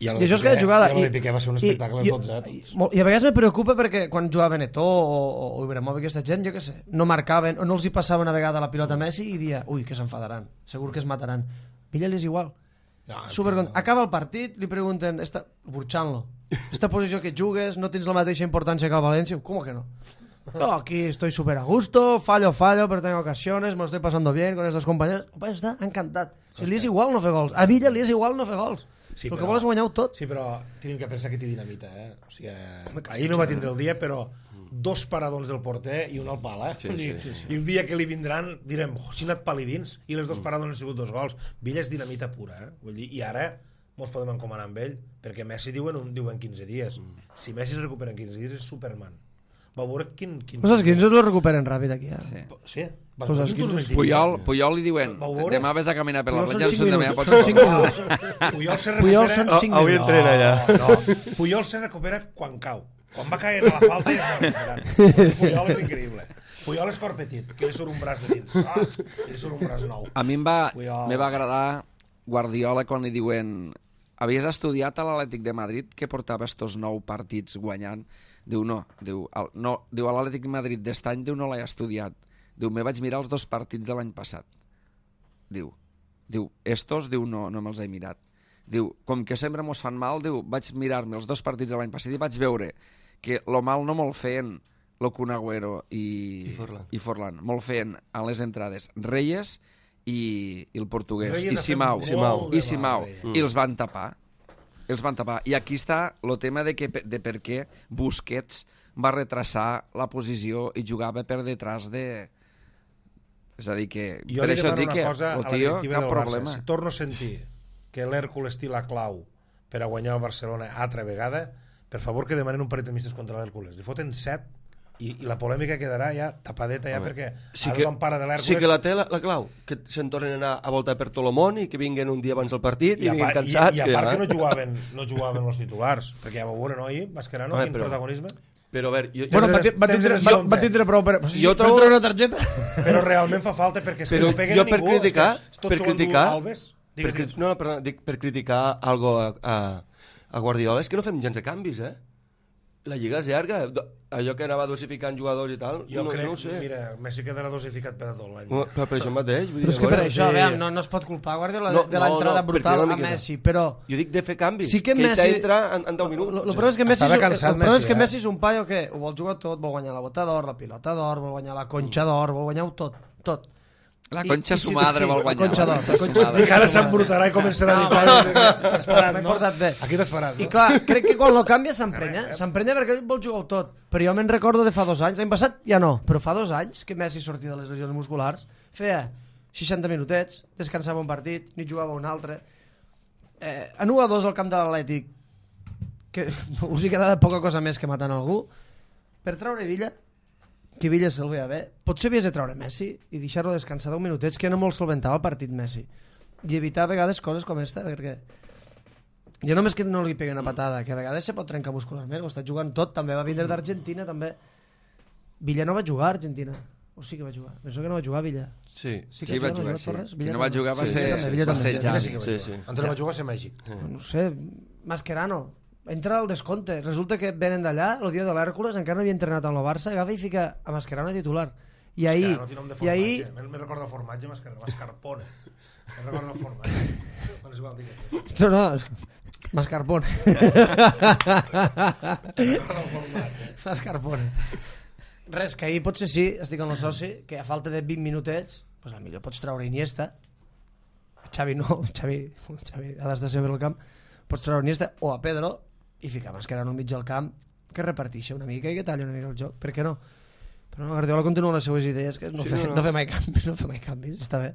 i això és cada jugada.
I el Piqué va ser un espectacle de tots,
I a vegades me preocupa perquè quan jugaven Eto'o o Ibrahimovic, aquesta gent, jo què sé, no marcaven o no els hi passava una vegada la pilota a Messi i dia, ui, que s'enfadaran, segur que es mataran. Villa li és igual. Acaba el partit, li pregunten, burxant-lo, esta posició que jugues no tens la mateixa importància que el València? ¿Cómo que no? No, aquí estoy súper a gusto, fallo, pero tengo ocasiones, me lo estoy pasando bien con estos compañeros. Compañero, està encantat. Li és igual no fer gols. A Villa li és igual no fer gols. Sí, el que vol és guanyar-ho tot.
Sí, però tenim que pensar que té dinamita, O sigui, ahir no va tindre el dia, però 2 paradons del porter i un al pal, I el dia que li vindran direm, si ha anat pal i dins, i les 2 paradons han sigut 2 gols. Villa és dinamita pura, Vull dir, i ara mos podem encomanar amb ell, perquè Messi diuen 15 dies. Si Messi es recupera en 15 dies és Superman. Va veure quin...
Pues els 15 lo recuperen ràpid aquí,
Sí?
Pues els 15...
Puyol li diuen, demà ves a caminar per la platja,
són 5 minuts.
Puyol se recupera...
Avui entrena allà.
Puyol se recupera quan cau. Quan va caient a la falta ja es va recuperar. Puyol és increïble. Puyol és cor petit, que li surt un braç de dins. Li surt un braç nou.
A mi me va agradar Guardiola quan li diuen havies estudiat a l'Atlètic de Madrid que portava estos 9 partits guanyant? Diu, no. Diu, a l'Atlètic de Madrid d'est any, diu, no l'he estudiat. Diu, me vaig mirar els 2 partits de l'any passat. Diu, estos, diu, no me'ls he mirat. Diu, com que sempre mos fan mal, diu, vaig mirar-me els 2 partits de l'any passat i vaig veure que lo mal no me'l feien lo Kun Agüero i Forlán. Me'l feien a les entrades Reyes i el portuguès, i Simao. I els van tapar. I aquí està el tema de per què Busquets va retrasar la posició i jugava per detrás de... És a dir, que...
Jo
per
li
això
demano
dic
una
que
cosa a
el
la
tio,
directiva
cap
del Barça.
problema.
Si torno a sentir que l'Hèrcules té la clau per a guanyar el Barcelona altra vegada, per favor que demanen un parell de mistes contra l'Hèrcules. Li foten 7 i la polèmica quedarà ja tapadeta ja perquè ara l'empara de l'Hèrcules...
Sí que la té la clau, que se'n tornen a anar a voltar per tot el món i que vinguen un dia abans del partit i vinguin cansats.
I a part que no jugaven els titulars, perquè ja va veure, no, Mascherano, quin protagonisme.
Però a veure...
Bueno, va tindre prou per treure una targeta.
Però realment fa falta, perquè
no peguen a ningú. Per criticar algo a Guardiola és que no fem gens de canvis, La lliga és llarga, allò que anava dosificant jugadors i tal,
jo crec,
no ho sé.
Mira, Messi quedarà dosificat per a tot l'any.
Per això mateix.
Però és que per això, no es pot culpar Guardiola de l'entrada brutal a Messi, però...
Jo dic de fer canvis,
que
ell t'entra en 10 minuts.
El problema és que Messi és un paio que ho vol jugar tot, vol guanyar la bota d'or, la pilota d'or, vol guanyar la conxa d'or, vol guanyar tot.
La conxa su madre vol guanyar.
La conxa d'or.
I que ara s'embrutarà i començarà a dir t'has parat, no? Aquí t'has parat, no?
I clar, crec que quan lo canvia s'emprenya perquè ell vol jugar tot. Però jo me'n recordo de fa 2 anys, l'any passat ja no, però fa 2 anys que Messi sortia de les lesions musculars, feia 60 minutets, descansava un partit, ni jugava un altre. En 1-2 al camp de l'Atlètic, que us hi quedava poca cosa més que matant algú, per treure Villa, que Villa se'l veia bé, potser havies de treure Messi i deixar-lo descansar 10 minutets, que no molt solventava el partit Messi, i evitar a vegades coses com esta, perquè jo només que no li pegui una patada, que a vegades se pot trencar muscularment, ho està jugant tot, també va vindre d'Argentina, també Villa no va jugar a Argentina, o sí que va jugar, penso que no va jugar Villa.
Sí va jugar, sí. Si no va jugar va ser Xavi.
Antes no va jugar a ser Mèxic.
No sé, Mascherano entra al descompte, resulta que venen d'allà el dia de l'Hèrcules, encara no havia entrenat amb el Barça, agafa i fica a Mascherano titular i ahir
me recorda el formatge Mascarpone me recorda el formatge
no, Mascarpone Mascarpone res, que ahir potser sí, estic amb el soci que a falta de 20 minutets pues potser pots treure Iniesta Xavi no, Xavi ha d'estar sempre al camp, pots treure Iniesta o a Pedro i ficar Mascherano al mig del camp que reparteixi una mica i que talli una mica el joc, per què no? Però no, Guardiola continua les seues idees que no fer mai canvis, està bé.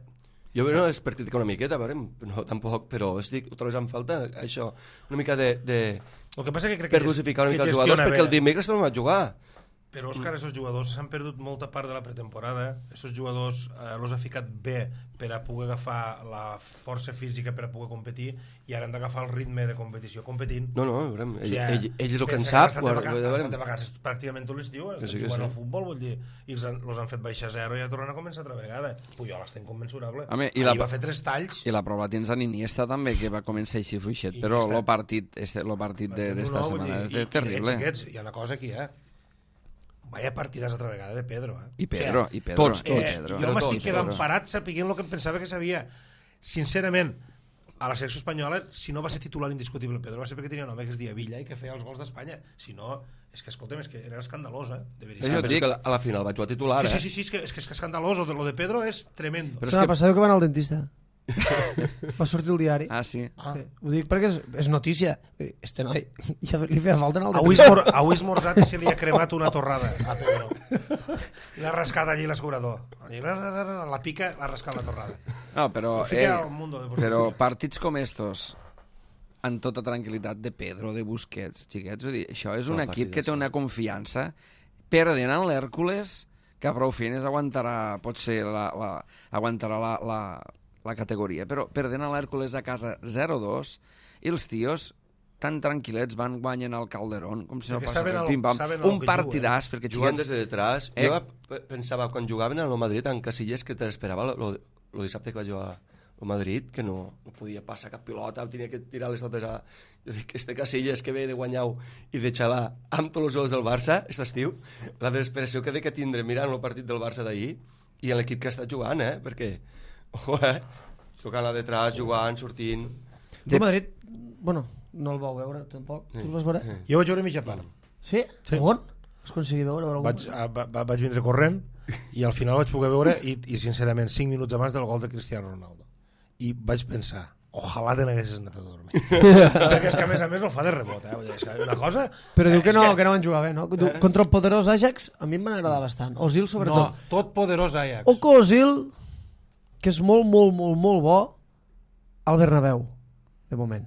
Jo no és per criticar una miqueta, no, tampoc, però estic trobant en falta això, una mica de
el que passa que crec
per dosificar una mica els jugadors, perquè el dimecres no va jugar.
Però, Òscar, aquests jugadors s'han perdut molta part de la pretemporada. Aquests jugadors els ha ficat bé per a poder agafar la força física per a poder competir i ara han d'agafar el ritme de competició competint.
No, veurem. Ell és el que en sap.
Estan de vacances pràcticament tot l'estiu, jugant al futbol, vull dir, i els han fet baixar 0 i ja tornen a començar altra vegada. Puyol està incommensurable. Ahir va fer 3 talls.
I la prova tens en Iniesta també, que va començar així fluixet, però el partit d'esta setmana és terrible.
Hi ha una cosa aquí, vaya partides altra vegada de Pedro.
I Pedro.
Tots. Jo m'estic quedant parat sapiguent el que em pensava que sabia. Sincerament, a la selecció espanyola, si no va ser titular indiscutible Pedro, va ser perquè tenia un home que es deia Villa i que feia els gols d'Espanya. Si no, és que, escolta'm, és que era escandalós, de veritat.
És que a la final va jugar titular,
Sí, és que és escandalós. Lo de Pedro és tremendo.
Però passava que va anar al dentista. Va sortir el diari.
Sí.
Ho dic perquè és notícia. Este noi ja li feia falta en el
dentista. Avui esmorzat i se li ha cremat una torrada a Pedro. I l'ha rascat allí l'escurador. La pica, l'ha rascat la torrada.
No, però partits com estos amb tota tranquil·litat de Pedro, de Busquets, xiquets, això és un equip que té una confiança perdent en l'Hèrcules que a prou feines aguantarà potser aguantarà la categoria, però perdent a l'Hèrcules a casa 0-2 i els tios tan tranquil·lets van guanyant al Calderón, com si no
Perquè
passava
saben
pim-pam.
saben
Un
que
partidàs, perquè
Jugant
xiquets...
des de detrás. Jo pensava, quan jugaven al Madrid, en Casillas, que t'esperava el dissabte que va jugar al Madrid, que no podia passar cap pilota, tenia que tirar les totes a... Jo dic, este Casillas que ve de guanyar i de xalar amb tots els jugadors del Barça, aquest estiu, la desesperació que de que tindre mirant el partit del Barça d'ahir i en l'equip que està jugant, perquè... Ojo, tocant a detrás, jugant, sortint...
El Madrid, bueno, no el vau veure tampoc. Tu el vas veure?
Jo vaig veure mitja part.
Sí?
Sí.
On? Vas aconseguir veure algun?
Vaig vindre corrent i al final vaig poder veure i sincerament 5 minuts abans del gol de Cristiano Ronaldo i vaig pensar, ojalà te n'haguessis anat a dormir. Perquè és que a més no fa de rebot, Vull dir, és que una cosa...
Però diu que no van jugar bé, no? Contra el poderós Ajax a mi em van agradar bastant. Ozil sobretot.
No, tot poderós Ajax.
Oco Ozil, que és molt bo al Bernabéu, de moment.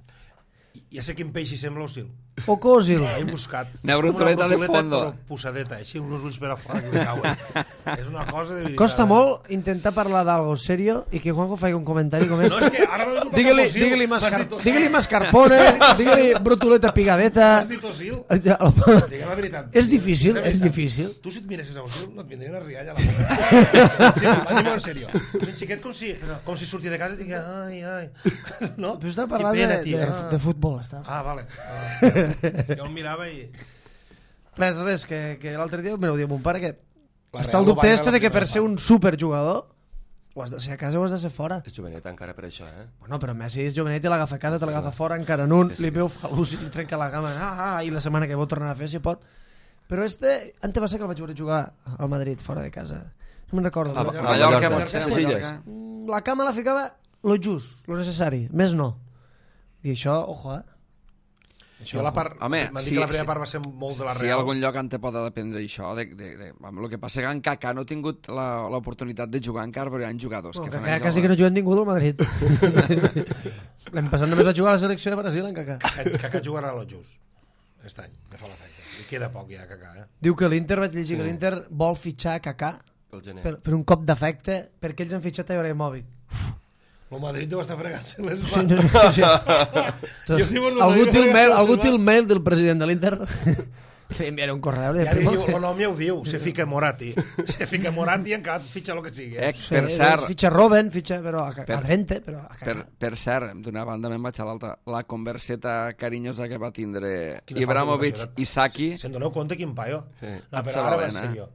Ja sé quin peix hi sembla Ozil.
Oco Ozil.
He buscat.
Una brutoleta de fondo.
Però posadeta, així, uns ulls per a fora que li cauen. És una cosa de veritat.
Costa molt intentar parlar d'algo serio i que Juanjo faci un comentari com és...
No, és que ara m'ha vingut
Digue-li mascarpone, digue-li brutoleta pigadeta...
M'has dit Ozil? Digue'm la veritat.
És difícil.
Tu si et miressis a Ozil no et vindria una rialla a la boca. Anem en sèrio. És un xiquet com si sortia de casa i digui ai. No?
Però està parlant de futbol.
Ah, vale. Jo el mirava i...
Res, que l'altre dia me ho diu mon pare, que
La
està
Real
el dubte
no va
este de que per ser un superjugador o has de ser a casa o has de ser fora.
És jovenet encara per això,
Bueno, però Messi és jovenet i l'agafa a casa, te l'agafa fora encara en un, li veu falús i li trenca la cama, i la setmana que vol tornar a fer si pot. Però antes va ser que el vaig veure jugar al Madrid fora de casa. No me'n recordo.
Mallorca.
La cama la ficava lo just, lo necessari, més no. I això, ojo,
Jo la part,
home,
m'han dit que la primera part va ser molt de la Real.
Si algun lloc en te pot dependre això, el que passa que en Kaká no ha tingut l'oportunitat de jugar encara, però hi ha jugadors que fan això.
Quasi que no juguen ningú del Madrid. L'any passat només va jugar a la selecció de Brasil, en Kaká.
Kaká jugarà a lo just aquest any, me fa l'efecte. I queda poc ja, Kaká.
Diu que l'Inter, vaig llegir que l'Inter vol fitxar Kaká per un cop d'efecte, perquè ells han fitxat a Ibrahimovic.
El Madrid deu estar fregant-se les
mans. Algú té el mail del president de l'Inter que li enviaré un correu.
I ara diu, el nom ja ho diu, se fica Moratti i encara fitxa el que sigui.
Per cert,
fitxa Robben, però a Drente, però a Kaká.
Per cert, d'una banda me'n vaig a l'altra, la converseta carinyosa que va tindre Ibrahimovic i Saki.
Se'n doneu compte quin paio? No, però ara va en sèrio.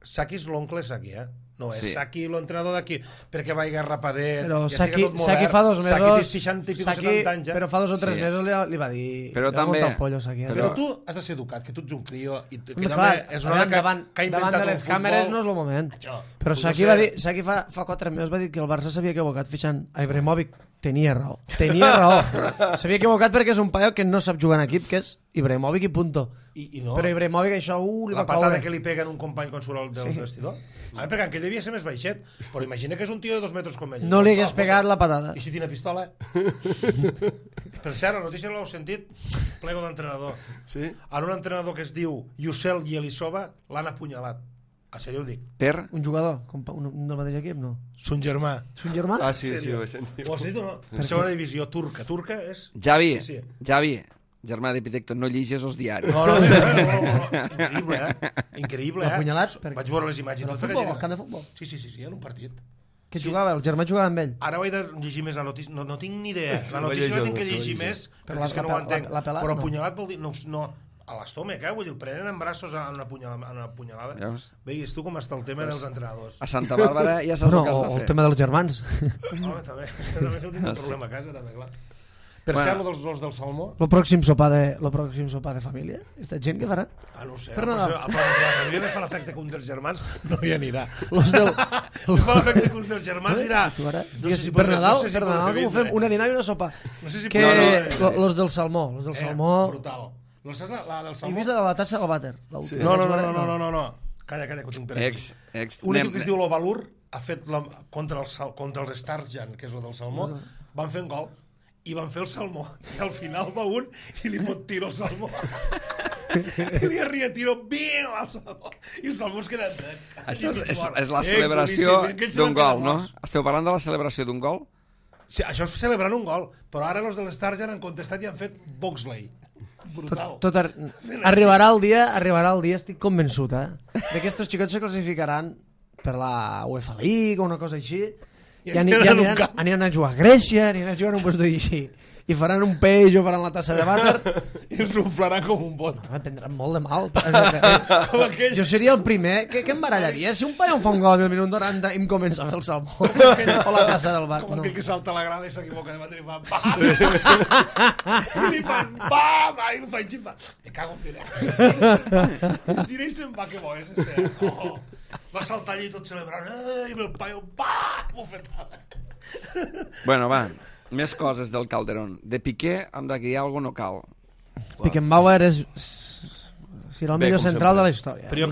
Saki és l'oncle Saki, No, és Saki l'entrenador d'aquí, perquè va ir rapadet.
Però Saki fa 2 mesos...
Saki té 60 i 70 anys.
Però fa 2 o 3 mesos li va dir...
Però també...
Però tu has de ser educat, que tu ets un crio...
És una davant de les càmeres no és el moment. Però Saki va dir... Saki fa 4 mesos va dir que el Barça s'havia equivocat fitxant a Ibrahimovic. Tenia raó. S'havia equivocat perquè és un paio que no sap jugar en equip, que és Ibrahimovic i punto. Però Ibrahimovic això li va
caure. La patada que li peguen un company quan surt del vestidor? Perquè aquell devia ser més baixet, però imagina que és un tio de 2 metres com ell.
No li hagués pegat la patada.
I si tiene pistola? Per cert, la notícia l'heu sentit? Plego d'entrenador. En un entrenador que es diu Yusel Yelisova l'han apunyalat. En sèrio ho dic.
Per?
Un jugador? Un del mateix equip, no?
Son germà.
Son germà?
Ah, sí, ho he sentit.
Ho has sentit o no? Segona divisió turca. Turca és...
Javi, germà d'Epitecto, no llegis els diaris.
No. Increïble,
Apunyalat?
Vaig veure les imatges.
Al camp de futbol?
Sí, en un partit.
Que jugava? El germà jugava amb ell?
Ara ho he de llegir més la notícia. No tinc ni idea. La notícia la tinc que llegir més, perquè és que no ho entenc. Però apunyalat vol dir... No, a l'estómac, vull dir, el prenen en braços a una punyalada. Veus tu com està el tema dels entrenadors.
A Santa Bàrbara ja saps el que has de fer.
O el tema dels germans.
Home, també tinc un problema a casa, també, clar. Per cert, els del salmó...
El pròxim sopar de família? Aquesta gent que faran?
No ho sé. La família me fa l'efecte que un dels germans no hi anirà.
Me
fa l'efecte que un dels germans dirà...
Per Nadal, com ho fem? Una dinar i una sopa. Los del salmó.
Brutal. La del salmó?
He vist la tassa o vàter.
No. Calla, que ho tinc per aquí. Un equip que es diu l'Ovalur ha fet contra els Starjan, que és el del salmó, van fer un gol i van fer el salmó i al final va un i li fot tiro al salmó i li arria tiro al salmó i el salmó es queda...
Això és la celebració d'un gol, no? Esteu parlant de la celebració d'un gol?
Sí, això és celebrant un gol, però ara els de l'Star ja han contestat i han fet Boxley. Brutal.
Arribarà el dia, estic convençut, de que estos xicots se classificaran per la UEFA League o una cosa així, i aniran a jugar a Grècia, aniran a jugar a un lloc així, i faran un peix o faran la tassa de vàter
i ens inflaran com un bot.
No, prendran molt de mal. Jo seria el primer que em barallaria si un paio em fa un gol al minut 90 i em comença a fer el salmó o la tassa del bar.
Com aquell que salta a la grada i s'equivoca de batre i fa bam! I li fan bam! I el fa i fa me cago en diré. I tira i se'n va, que bo és este. Va saltar allí tot celebrant i el paio bam! Bufetada.
Bueno, va, més coses del Calderón. De Piqué, hem de guiar alguna no cal.
Beckenbauer serà el millor central de la història.
Però jo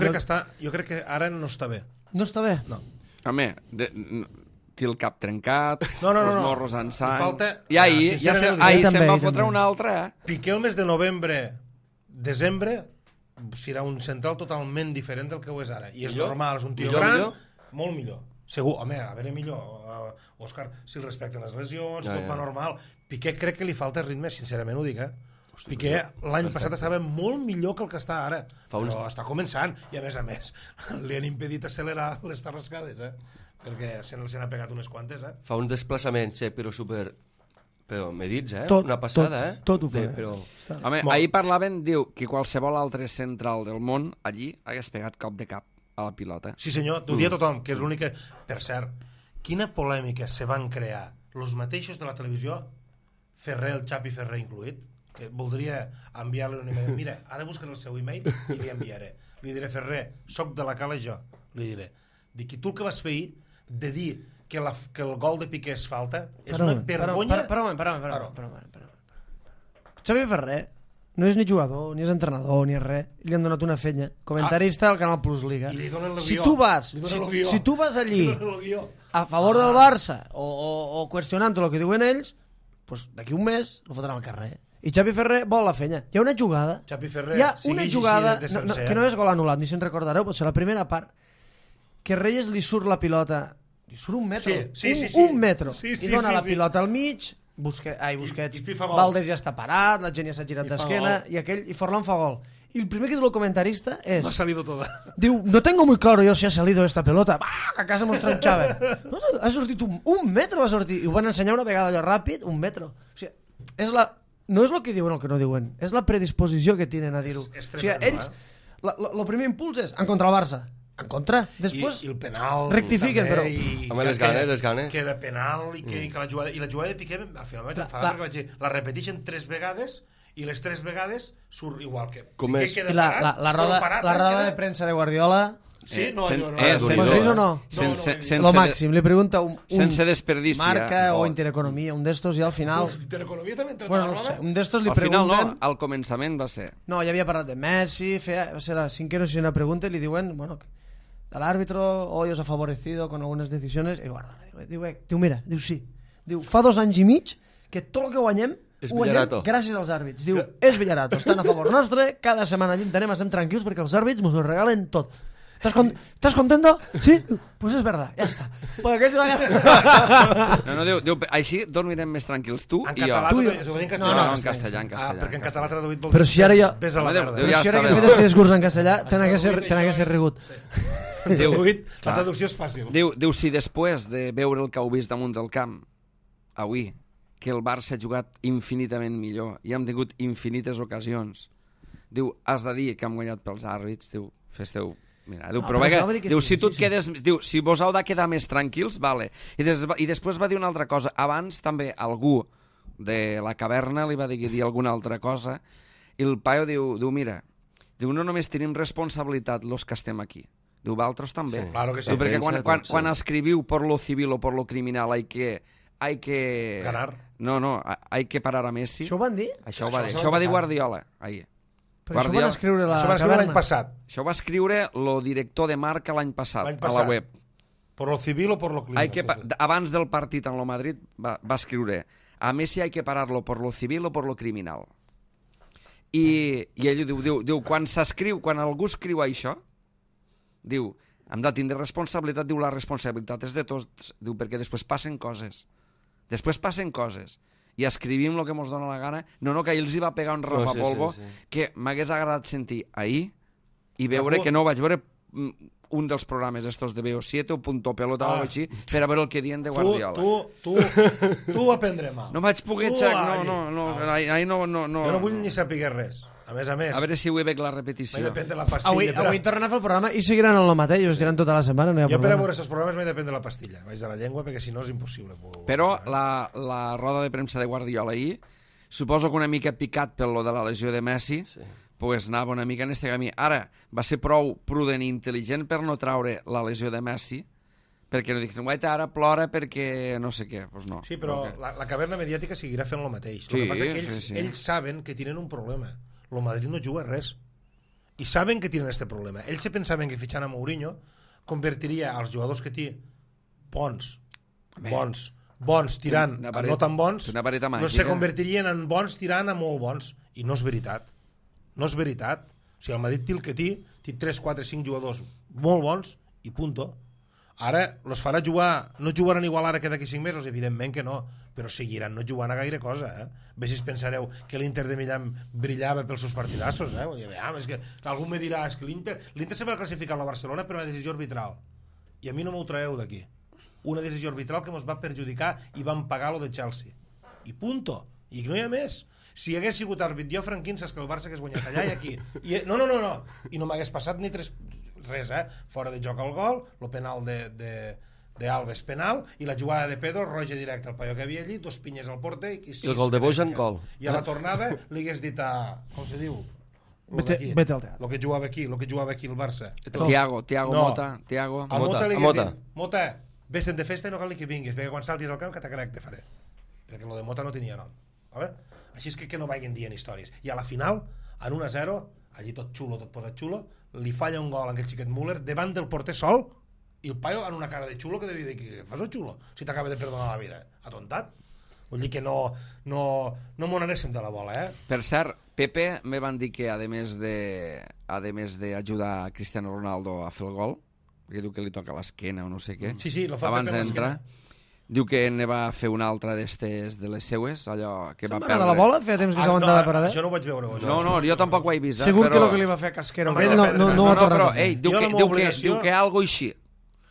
crec que ara no està bé.
No està bé?
No.
Home, té el cap trencat,
no.
els morros en sang...
Falta...
I ahir se'n va fotre un altre,
Piqué el mes de novembre, desembre, serà un central totalment diferent del que ho és ara. I és normal, és un tio gran, molt millor. Segur, home, a veure millor, Òscar, si el respecten les lesions, tot va normal. Piqué crec que li falta ritme, sincerament ho dic, Piqué l'any passat estava molt millor que el que està ara, però està començant, i a més, li han impedit accelerar les tarrascades, perquè se n'ha pegat unes quantes,
Fa uns desplaçaments, però medits, una passada,
Tot ho fa.
Home, ahir parlaven, diu, que qualsevol altre central del món, allí, hagués pegat cop de cap a la pilota.
Sí senyor, t'ho dia tothom, que és l'únic que... Per cert, quina polèmica se van crear els mateixos de la televisió, Ferrer, el Xapi Ferrer incluït, que voldria enviar-li un email. Mira, ara buscaré el seu email i li enviaré. Li diré, Ferrer, soc de la Cala jo. Li diré. Dic, i tu el que vas fer ahir de dir que el gol de Piqué és falta, és una vergonya...
Per un moment. Xavi Ferrer no és ni jugador, ni és entrenador, ni és res. Li han donat una fenya. Comentarista al Canal Plus Liga.
I li donen el
si
guió.
tu vas allí a favor del Barça o qüestionant el que diuen ells, pues d'aquí un mes el fotran al carrer. I Xavi Ferrer vol la fenya. Hi ha una jugada, que no és gol anul·lat, ni se'n recordareu, pot ser la primera part, que Reyes li surt la pilota, li surt un metro, un metro, i dona la pilota al mig, Busquets, Valdés ja està parat, la gent ja s'ha girat d'esquena, i Forlán fa gol. Y el primer que diu el comentarista es...
No ha salido toda.
Diu, no tengo muy claro yo si ha salido esta pelota. Va, que a casa mos tronxaven. No, ha sortit un metro, va sortir. I ho van ensenyar una vegada allò ràpid, un metro. O sigui, no és el que diuen o el que no diuen, és la predisposició que tenen a dir-ho. O sigui, ells, el primer impuls és en contra el Barça. En contra. Després
I el penal
rectifiquen, però...
Home, les ganes.
Que era penal i que la jugada de Piqué al final vaig enfadar perquè vaig dir, la repeteixen 3 vegades i les 3 vegades surt igual que Piqué queda parat.
La roda de premsa de Guardiola...
Sí, no,
¿Ho has vist o no? Lo màxim, li pregunta un marca o Intereconomia, un d'estos, i al final...
Intereconomia també entra
bueno, no sé, un d'estos li pregunten...
Al final no, al començament va ser...
No, ja havia parlat de Messi, va ser la cinquena o sisena pregunta, i li diuen, bueno, el árbitro hoy os ha favorecido con algunas decisiones, i Guardiola diu, mira, diu sí, diu, fa 2 anys i mig que tot el que guanyem ho guanyem gràcies als àrbits. Diu, és Villarato, estan a favor nostre, cada setmana allí en estem tranquils perquè els àrbits ens ho regalen tot. ¿Estás contento? Sí? Pues es verdad, ja està. Pues aquells van...
No, diu, així dormirem més tranquils tu i jo.
En
català, en castellà.
Perquè en català traduït vol
dir... Però si ara jo...
Ves a la merda.
Però si ara que he fet aquest discurs en castellà, tenen que ser rigut.
La traducció és fàcil.
Diu, si després de veure el que heu vist damunt del camp, avui, que el Barça ha jugat infinitament millor i hem tingut infinites ocasions, diu, has de dir que hem guanyat pels àrbits, diu, fes-teu... Mira, diu, però diu, si tu et quedes... Diu, si vos heu de quedar més tranquils, vale. I després va dir una altra cosa. Abans també algú de la caverna li va dir alguna altra cosa i el paio diu, mira, diu, no només tenim responsabilitat los que estem aquí. Diu, vosaltres també.
Sí, claro que sí.
Diu, perquè quan escriviu por lo civil o por lo criminal hay que...
Ganar.
No, hay que parar a Messi.
Això ho van dir?
Això va dir Guardiola ahir.
Però això van escriure
l'any passat.
Això va escriure el director de Marca l'any passat a la web.
Por lo civil o por lo criminal.
Abans del partit en lo Madrid va escriure a Messi hay que pararlo por lo civil o por lo criminal. I ell diu, quan algú escriu això, diu, hem de tindre responsabilitat, diu, la responsabilitat és de tots, diu, perquè després passen coses. Després passen coses i escrivim el que ens dona la gana. No, que ahir els hi va pegar un rapapolvo que m'hagués agradat sentir ahir i veure que no vaig veure un dels programes estos de BO7 o Punto Pelota o així per a veure el que diuen de Guardiola.
Tu aprendre mal.
No vaig poder... Ahir no...
Jo no vull ni saber res. A més.
A veure si avui veig la repetició.
M'he depèn de la pastilla.
Avui tornen a fer el programa i seguiran el mateix, us diran tota la setmana.
Jo per a veure aquests programes m'he depèn de la pastilla. Vaig de la llengua perquè si no és impossible.
Però la roda de premsa de Guardiola ahir, suposo que una mica picat pel lo de la lesió de Messi, pues anava una mica en este camí. Ara, va ser prou prudent i intel·ligent per no traure la lesió de Messi, perquè no dic, guaita, ara plora perquè no sé què. Pues no.
Sí, però la caverna mediàtica seguirà fent el mateix. El que passa és que ells saben que tenen un problema. El Madrid no juga res. I saben que tenen aquest problema. Ells se pensaven que fitxant a Mourinho convertiria els jugadors que té bons, tirant a no tan bons, no se convertirien en bons tirant a molt bons. I no és veritat. No és veritat. O sigui, el Madrid té el que té 3, 4, 5 jugadors molt bons i punto. Ara los farà jugar, no jugaran igual ara que d'aquí 5 mesos, evidentment que no, però seguiran no jugant a gaire cosa, Bé si pensareu que l'Inter de Milán brillava pels seus partidassos, és que algú me dirà, és que l'Inter se va classificar a la Barcelona per una decisió arbitral, i a mi no m'ho traeu d'aquí. Una decisió arbitral que ens va perjudicar i vam pagar lo de Chelsea. I punto. I no hi ha més. Si hagués sigut àrbit jo, Franquín, saps que el Barça hagués guanyat allà i aquí. No. I no m'hagués passat ni res, fora de joc al gol, el penal d'Alves penal, i la jugada de Pedro, roja directe al paio que havia allí, 2 pinyes al porter i
el gol de Bojan, gol.
I a la tornada li hagués dit com se diu?
Vete al teatre.
El que jugava aquí el Barça.
Tiago Mota.
A Mota li hagués dit, Mota, vés-te'n de festa i no cal ni que vinguis, perquè quan saltis al camp que t'acarec te faré. Perquè el de Mota no tenia nom. Així és que no vagin dient històries. I a la final, en 1-0, allí tot xulo, tot posat xulo, li falla un gol a aquell xiquet Müller davant del porter sol, i el paio en una cara de xulo que devia dir que fas el xulo si t'acaba de perdonar la vida. Atontat. Vull dir que no m'ho anéssim de la bola,
Per cert, Pepe me van dir que a més d'ajudar a Cristiano Ronaldo a fer el gol, perquè diu que li toca l'esquena o no sé què,
sí, lo fa
abans
Pepe
d'entrar, diu que ne va fer una altra d'estes de les seues, allò que va perdre.
De la bola? Feia temps que s'aguantava per haver?
Això no ho vaig veure.
No, jo tampoc ho he vist.
Segur que el que li va fer a Casquero no ho ha tornat a fer.
Diu que algo així.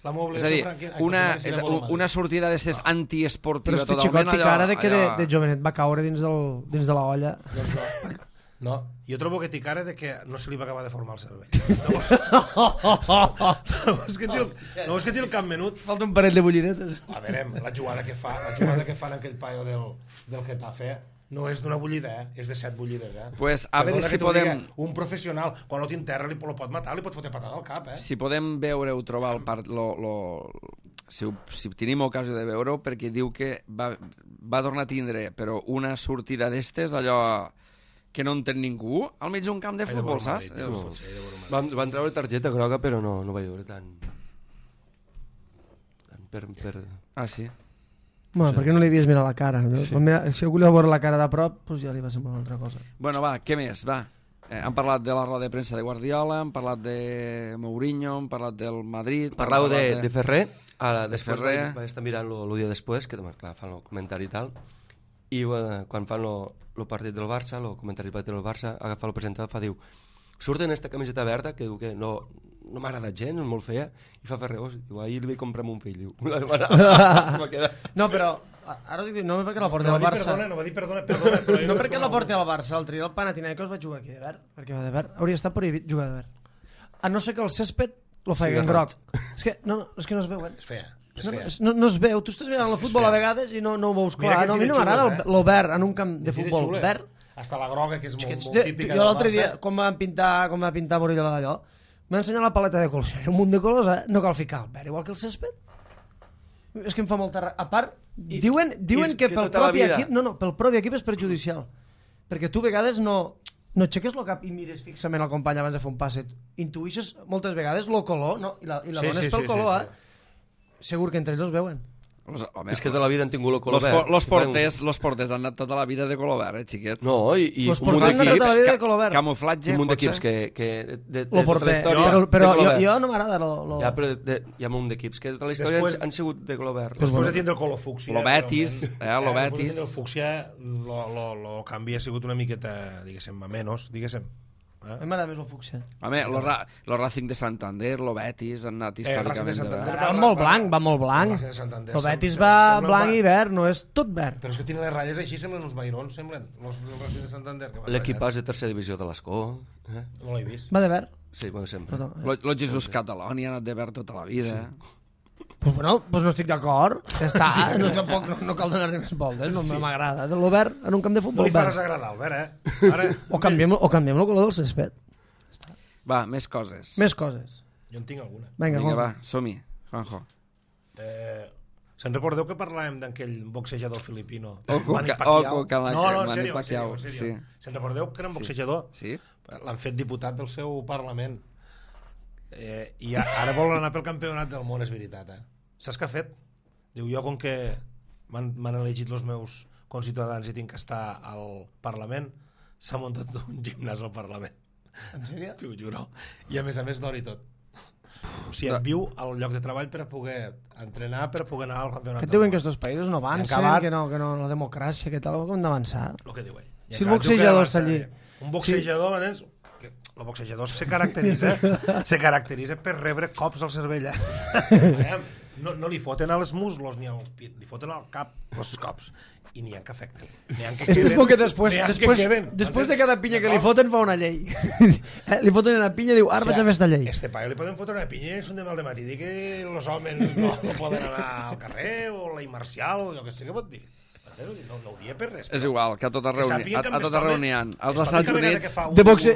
És a dir, una sortida d'estes antiesportiva
totalment. Però este xicot té cara de jovenet va caure dins de la olla.
No, jo trobo que té cara de que no se li va acabar de formar el cervell. No és que té el cap menut.
Falta un parell de bullidetes.
A veure, la jugada que fa en aquell paio del Getafe no és d'una bullida, és de 7 bullides.
Pues a veure si podem...
Un professional, quan no t'enterra, li pot matar, li pot fotre patada al cap.
Si podem veure o trobar si tenim ocasió de veure-ho, perquè diu que va tornar a tindre però una sortida d'estes, allò que no entén ningú al mig d'un camp de futbol, saps?
Van treure targeta groga, però no va veure tant.
Ah, sí?
Bueno, perquè no li havies mirat la cara. Si algú li va veure la cara de prop, doncs ja li va semblar una altra cosa.
Bueno, va, què més? Va. Hem parlat de la roda de premsa de Guardiola, hem parlat de Mourinho, hem parlat del Madrid...
Parlau de Ferrer, després vaig estar mirant el dia després, que clar, fan el comentari i tal, i quan fan el partit del Barça, el comentari del partit del Barça, agafa el presentador i diu, surt en esta camiseta verda, que diu que no m'ha agradat gens, és molt feia, i fa Ferrer, diu, ahir li vaig comprar un fill, diu, la demanava.
No, però ara dic, no perquè la porti al Barça.
No va dir perdona.
No perquè la porti al Barça, l'altre dia el Panathinaikos va jugar aquí de verd, perquè va de verd, hauria estat prohibit jugar de verd. A no ser que el césped lo faci en groc. És que no es veu,
És fea.
No es veu, tu estàs mirant el futbol a vegades i no ho veus clar. A mi no m'agrada el verd en un camp de futbol verd.
Hasta la groga, que és molt típica.
Jo l'altre dia, quan va pintar Morellola d'allò, m'ha ensenyat la paleta de colors. Un munt de colors, no cal ficar el verd, igual que el césped. És que em fa molta... A part, diuen que pel propi equip... No, pel propi equip és perjudicial. Perquè tu a vegades no aixeques el cap i mires fixament al company abans de fer un passet. Intuïixes moltes vegades el color, no? I la dones pel color, Segur que entre ells els veuen.
Home,
És que tota la vida han tingut el color verd.
Los porters han anat tota la vida de color verd, xiquet.
No, i
Los
un munt
porters han anat tota la vida de
d'equips...
color verd.
Camuflatge,
Un munt d'equips
potser?
que de
Lo
tota
porter,
la història...
però
de color verd.
jo no m'agrada lo...
Ja, però hi ha un munt d'equips que tota la història
Després-
han sigut de color verd.
Després de tindre el color fúcsia...
Lo Betis,
realment,
lo
després de
Betis.
tindre el fúcsia, lo canvi ha sigut una miqueta, diguéssim, a menys, diguéssim.
A mi m'agrada més el fúcsia.
Home, lo Racing de Santander, lo Betis, han anat
Racing de
històricament de
Santander.
verd.
Va molt blanc, va molt blanc.
Racing de Santander
El Betis
sembla-
va
sembla-
blanc i verd, no és tot verd.
Però és que tenen les ratlles així, semblen uns vairons, semblen. Els Racing de Santander. que van
L'equipàs
ratllats.
de tercera divisió de l'Escó.
No l'he vist.
Va de verd.
Sí, bueno, sempre.
Però,
Lo Jesús Cataloni ha anat de verd tota la vida.
pues bueno, pues no estic d'acord. Ja està, no, tampoc, no cal donar-li més voltes, no m'agrada. De lo verd en un camp de
No
futbol
li faràs
verd.
agradar, Albert, Ara...
O canviem el color del césped.
Va, més coses.
Més coses.
Jo en tinc alguna.
Vinga,
Vinga,
Juanjo.
va, som-hi, Juanjo.
Se'n recordeu que parlàvem d'aquell boxejador filipino?
Oco
Manny
Ca-
Pacquiao?
Oco Ca-
No, en
Manny
sèrio,
Pacquiao,
en sèrio.
sí.
Se'n recordeu que era un boxejador?
Sí?
L'han fet diputat del seu Parlament. I ara vol anar pel campionat del món, és veritat. Saps què ha fet? Diu, jo com que m'han elegit els meus conciutadans i tinc que estar al Parlament, s'ha muntat un gimnàs al Parlament.
En sèrio?
T'ho juro. I a més d'or i tot. O sigui, viu al lloc de treball per a poder entrenar, per a poder anar al campionat
Que et
del
diuen
món.
que estos països no avancen,
acabat-
que no, la democràcia, que tal, com hem d'avançar.
El que diu ell. I
Si el
acabat,
boxejador
diu que
està allí.
Un boxejador, m'entens? Que el boxejador se caracteritza per rebre cops al cervell. No li foten a les muslos ni al pit, li foten al cap els cops. I n'hi ha que afecten.
Este és bo que després de cada pinya que li foten fa una llei. Li foten una pinya i diu, ara vaig a fer esta llei.
Este paio li poden fotre una pinya i és un de mal de matí. Dir que els homes no poden anar al carrer o la immarcial o jo que sé què pot dir. No ho dia per res.
És igual, que a tota reunió n'hi ha. Als Estats Units...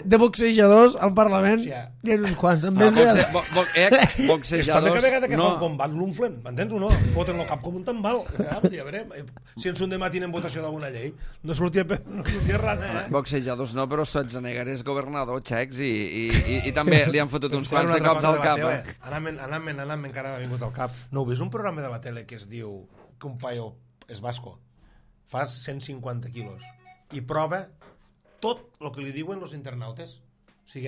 De boxejadors al Parlament
Hòstia.
n'hi ha uns quants. En
Ah,
vez de...
És també
boxejadors...
que vegada que fa un
No,
combat l'unflen, m'entens o no? Foten el cap com un tambal. Ja veurem. Si ens un de matí en votació d'alguna llei, no sortia res,
boxejadors no, però Schwarzenegger és governador txecs i també li han fotut uns quants de cops al cap.
Anant-me encara m'ha vingut al cap. No heu vist un programa de la tele que es diu que un paio és basco, fa 150 quilos i prova tot el que li diuen els internautes. O sigui,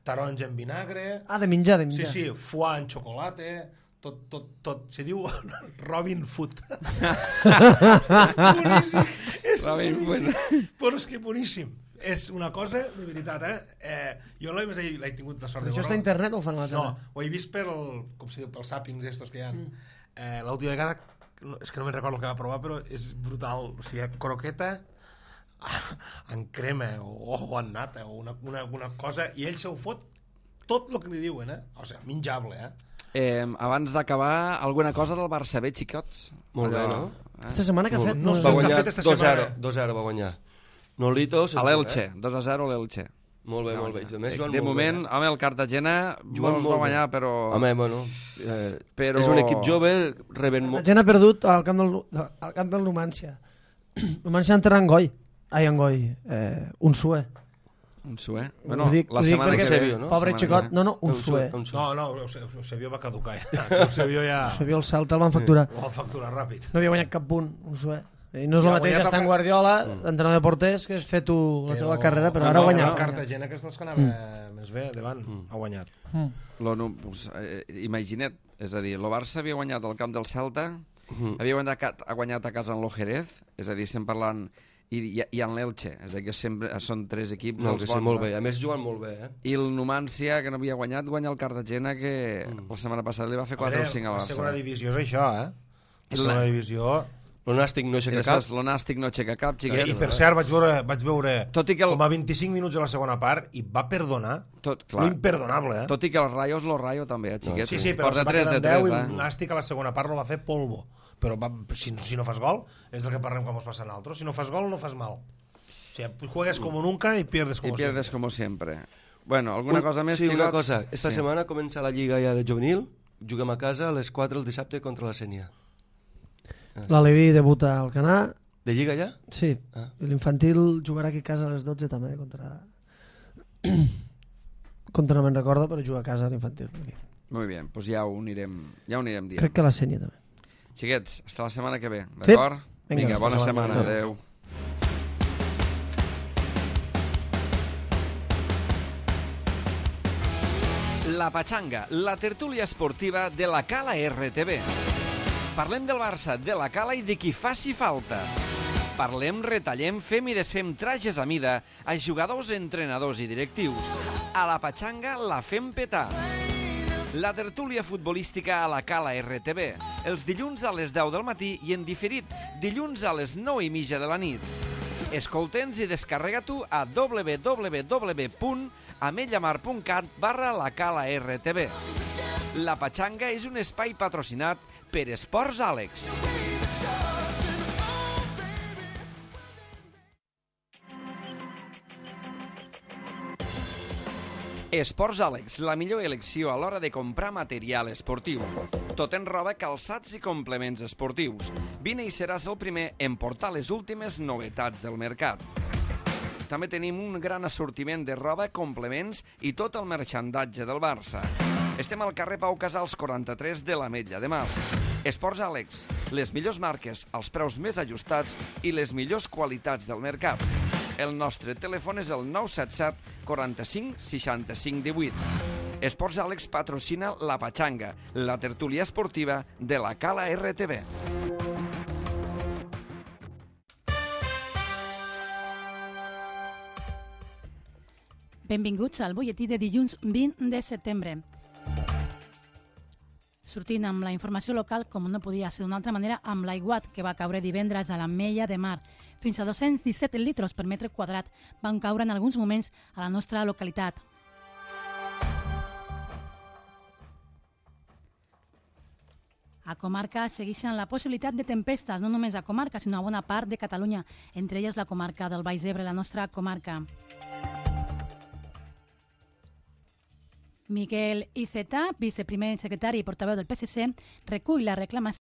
taronja en vinagre...
Ah, de menjar, de
Sí,
menjar.
sí, foie en xocolata, tot. Se diu Robin Food. Boníssim. És
Robin
boníssim. Però és que boníssim. És una cosa de veritat, jo l'he tingut la sort de
Això
veure.
està a internet o ho fan a la tele?
No, ho he vist com se diu, pels sàpings estos que hi ha. L'última vegada, és que no me'n recordo el que va provar, però és brutal. O sigui, croqueta en crema o en nata o una cosa, i ell se ho fot tot el que li diuen, O sigui, menjable,
Abans d'acabar, alguna cosa del Barça B, xicots?
Molt bé,
Allò,
no?
Esta setmana que ha fet...
No
No,
sé.
Va
el que ha
guanyar
fet esta
2-0,
setmana.
2-0 va guanyar. Nolito, sense
A l'Elche,
res.
2-0 a l'Elche.
Molt bé, molt bé. A més, jugant
De
molt
moment,
bé.
home, el Cartagena
Jugant
molts
molt
va guanyar,
bé.
però...
Home, bueno,
Però-
és un equip jove, reben
La
molt...
gent ha perdut al camp del Numància. Numància entra en Goi. Ai, en Goi. Un sué.
Un sué.
Ho
Bueno,
dic
la setmana
perquè-
que ve.
Eusebio, no?
Pobre
Setmana
xicot.
que ve.
No, no, un sué.
No, Eusebio va caducar. Eusebio ja
Eusebio el Celta el van facturar.
ho va facturar ràpid.
No havia guanyat cap punt, un sué. I no és
I
el
ha
mateix
guanyat
estar en
el-
Guardiola, entrenador de porters, que has fet tu la teva carrera, però ara ha
El
guanyat.
Cartagena, que és dels que anava més bé davant, ha guanyat.
Pues, imagina't, és a dir, el Barça havia guanyat al camp del Celta, havia guanyat a casa en l'Ojerez, és a dir, estem parlant... I en l'Elche, és a dir, que sempre són tres equips
No,
dels
que sí,
bons.
molt bé. A més, jugant molt bé,
I el Numancia, que no havia guanyat, guanya el Cartagena, que la setmana passada li va fer 4 o 5 a
La
Barça.
segona divisió és això, La
I
segona
la-
divisió...
L'Onàstic no
I
aixeca cap.
després l'Onàstic no aixeca cap, xiquet.
I per cert, vaig veure
Tot i que
com a 25 minuts de la segona part i va perdonar
Clar.
l'imperdonable,
Tot i que el Rayo és lo Rayo també, xiquet.
Sí, però
Porta
se va
3
quedar
de
en 10
3,
i el Nàstic a la segona part no va fer polvo. Però si no fas gol, és del que parlem quan ens passa a nosaltres. Si no fas gol, no fas mal. O sigui, juegues como nunca y pierdes como
I pierdes
siempre.
como siempre. Bueno, alguna cosa més,
Sí,
xicots?
una cosa. Esta
Sí.
setmana comença la Lliga ja de juvenil. Juguem a casa a les 4 el dissabte contra la Sénia.
L'Aleví debuta al Canà,
De Lliga ja?
sí,
Ah.
i l'infantil jugarà aquí a casa a les 12 també contra... contra no me'n recordo, però juga a casa l'infantil.
Molt bé, doncs ja ho anirem dient.
Crec que la Sènia també.
Xiquets, hasta la setmana que ve, d'acord? Vinga, bona setmana, adeu. La Patxanga, la tertúlia esportiva de la Cala RTV. Parlem del Barça, de la Cala i de qui faci falta. Parlem, retallem, fem i desfem trajes a mida a jugadors, entrenadors i directius. A la Patxanga la fem petar. La tertúlia futbolística a la Cala RTV, els dilluns a les 10 del matí i en diferit, dilluns a les 9:30 de la nit. Escolta'ns i descarrega-t'ho a www.ametlllamar.cat/la Cala RTV. La Patxanga és un espai patrocinat per Esports Àlex. Esports Àlex, la millor elecció a l'hora de comprar material esportiu. Tot en roba, calçats i complements esportius. Vine i seràs el primer en portar les últimes novetats del mercat. També tenim un gran assortiment de roba, complements i tot el merxandatge del Barça. Estem al carrer Pau Casals 43 de l'Ametlla de Mar. Esports Àlex, les millors marques, els preus més ajustats i les millors qualitats del mercat. El nostre telèfon és el 977 45 65 18. Esports Àlex patrocina la Patxanga, la tertúlia esportiva de la Cala RTV.
Benvinguts al butlletí de dilluns 20 de setembre. Sortint amb la informació local, com no podia ser d'una altra manera, amb l'aiguat que va caure divendres a l'Ametlla de Mar. Fins a 217 litres per metre quadrat van caure en alguns moments a la nostra localitat. A comarca segueixen la possibilitat de tempestes, no només a comarca, sinó a bona part de Catalunya, entre elles la comarca del Baix Ebre, la nostra comarca. Miquel Iceta, viceprimer secretari i portaveu del PSC, recull la reclamació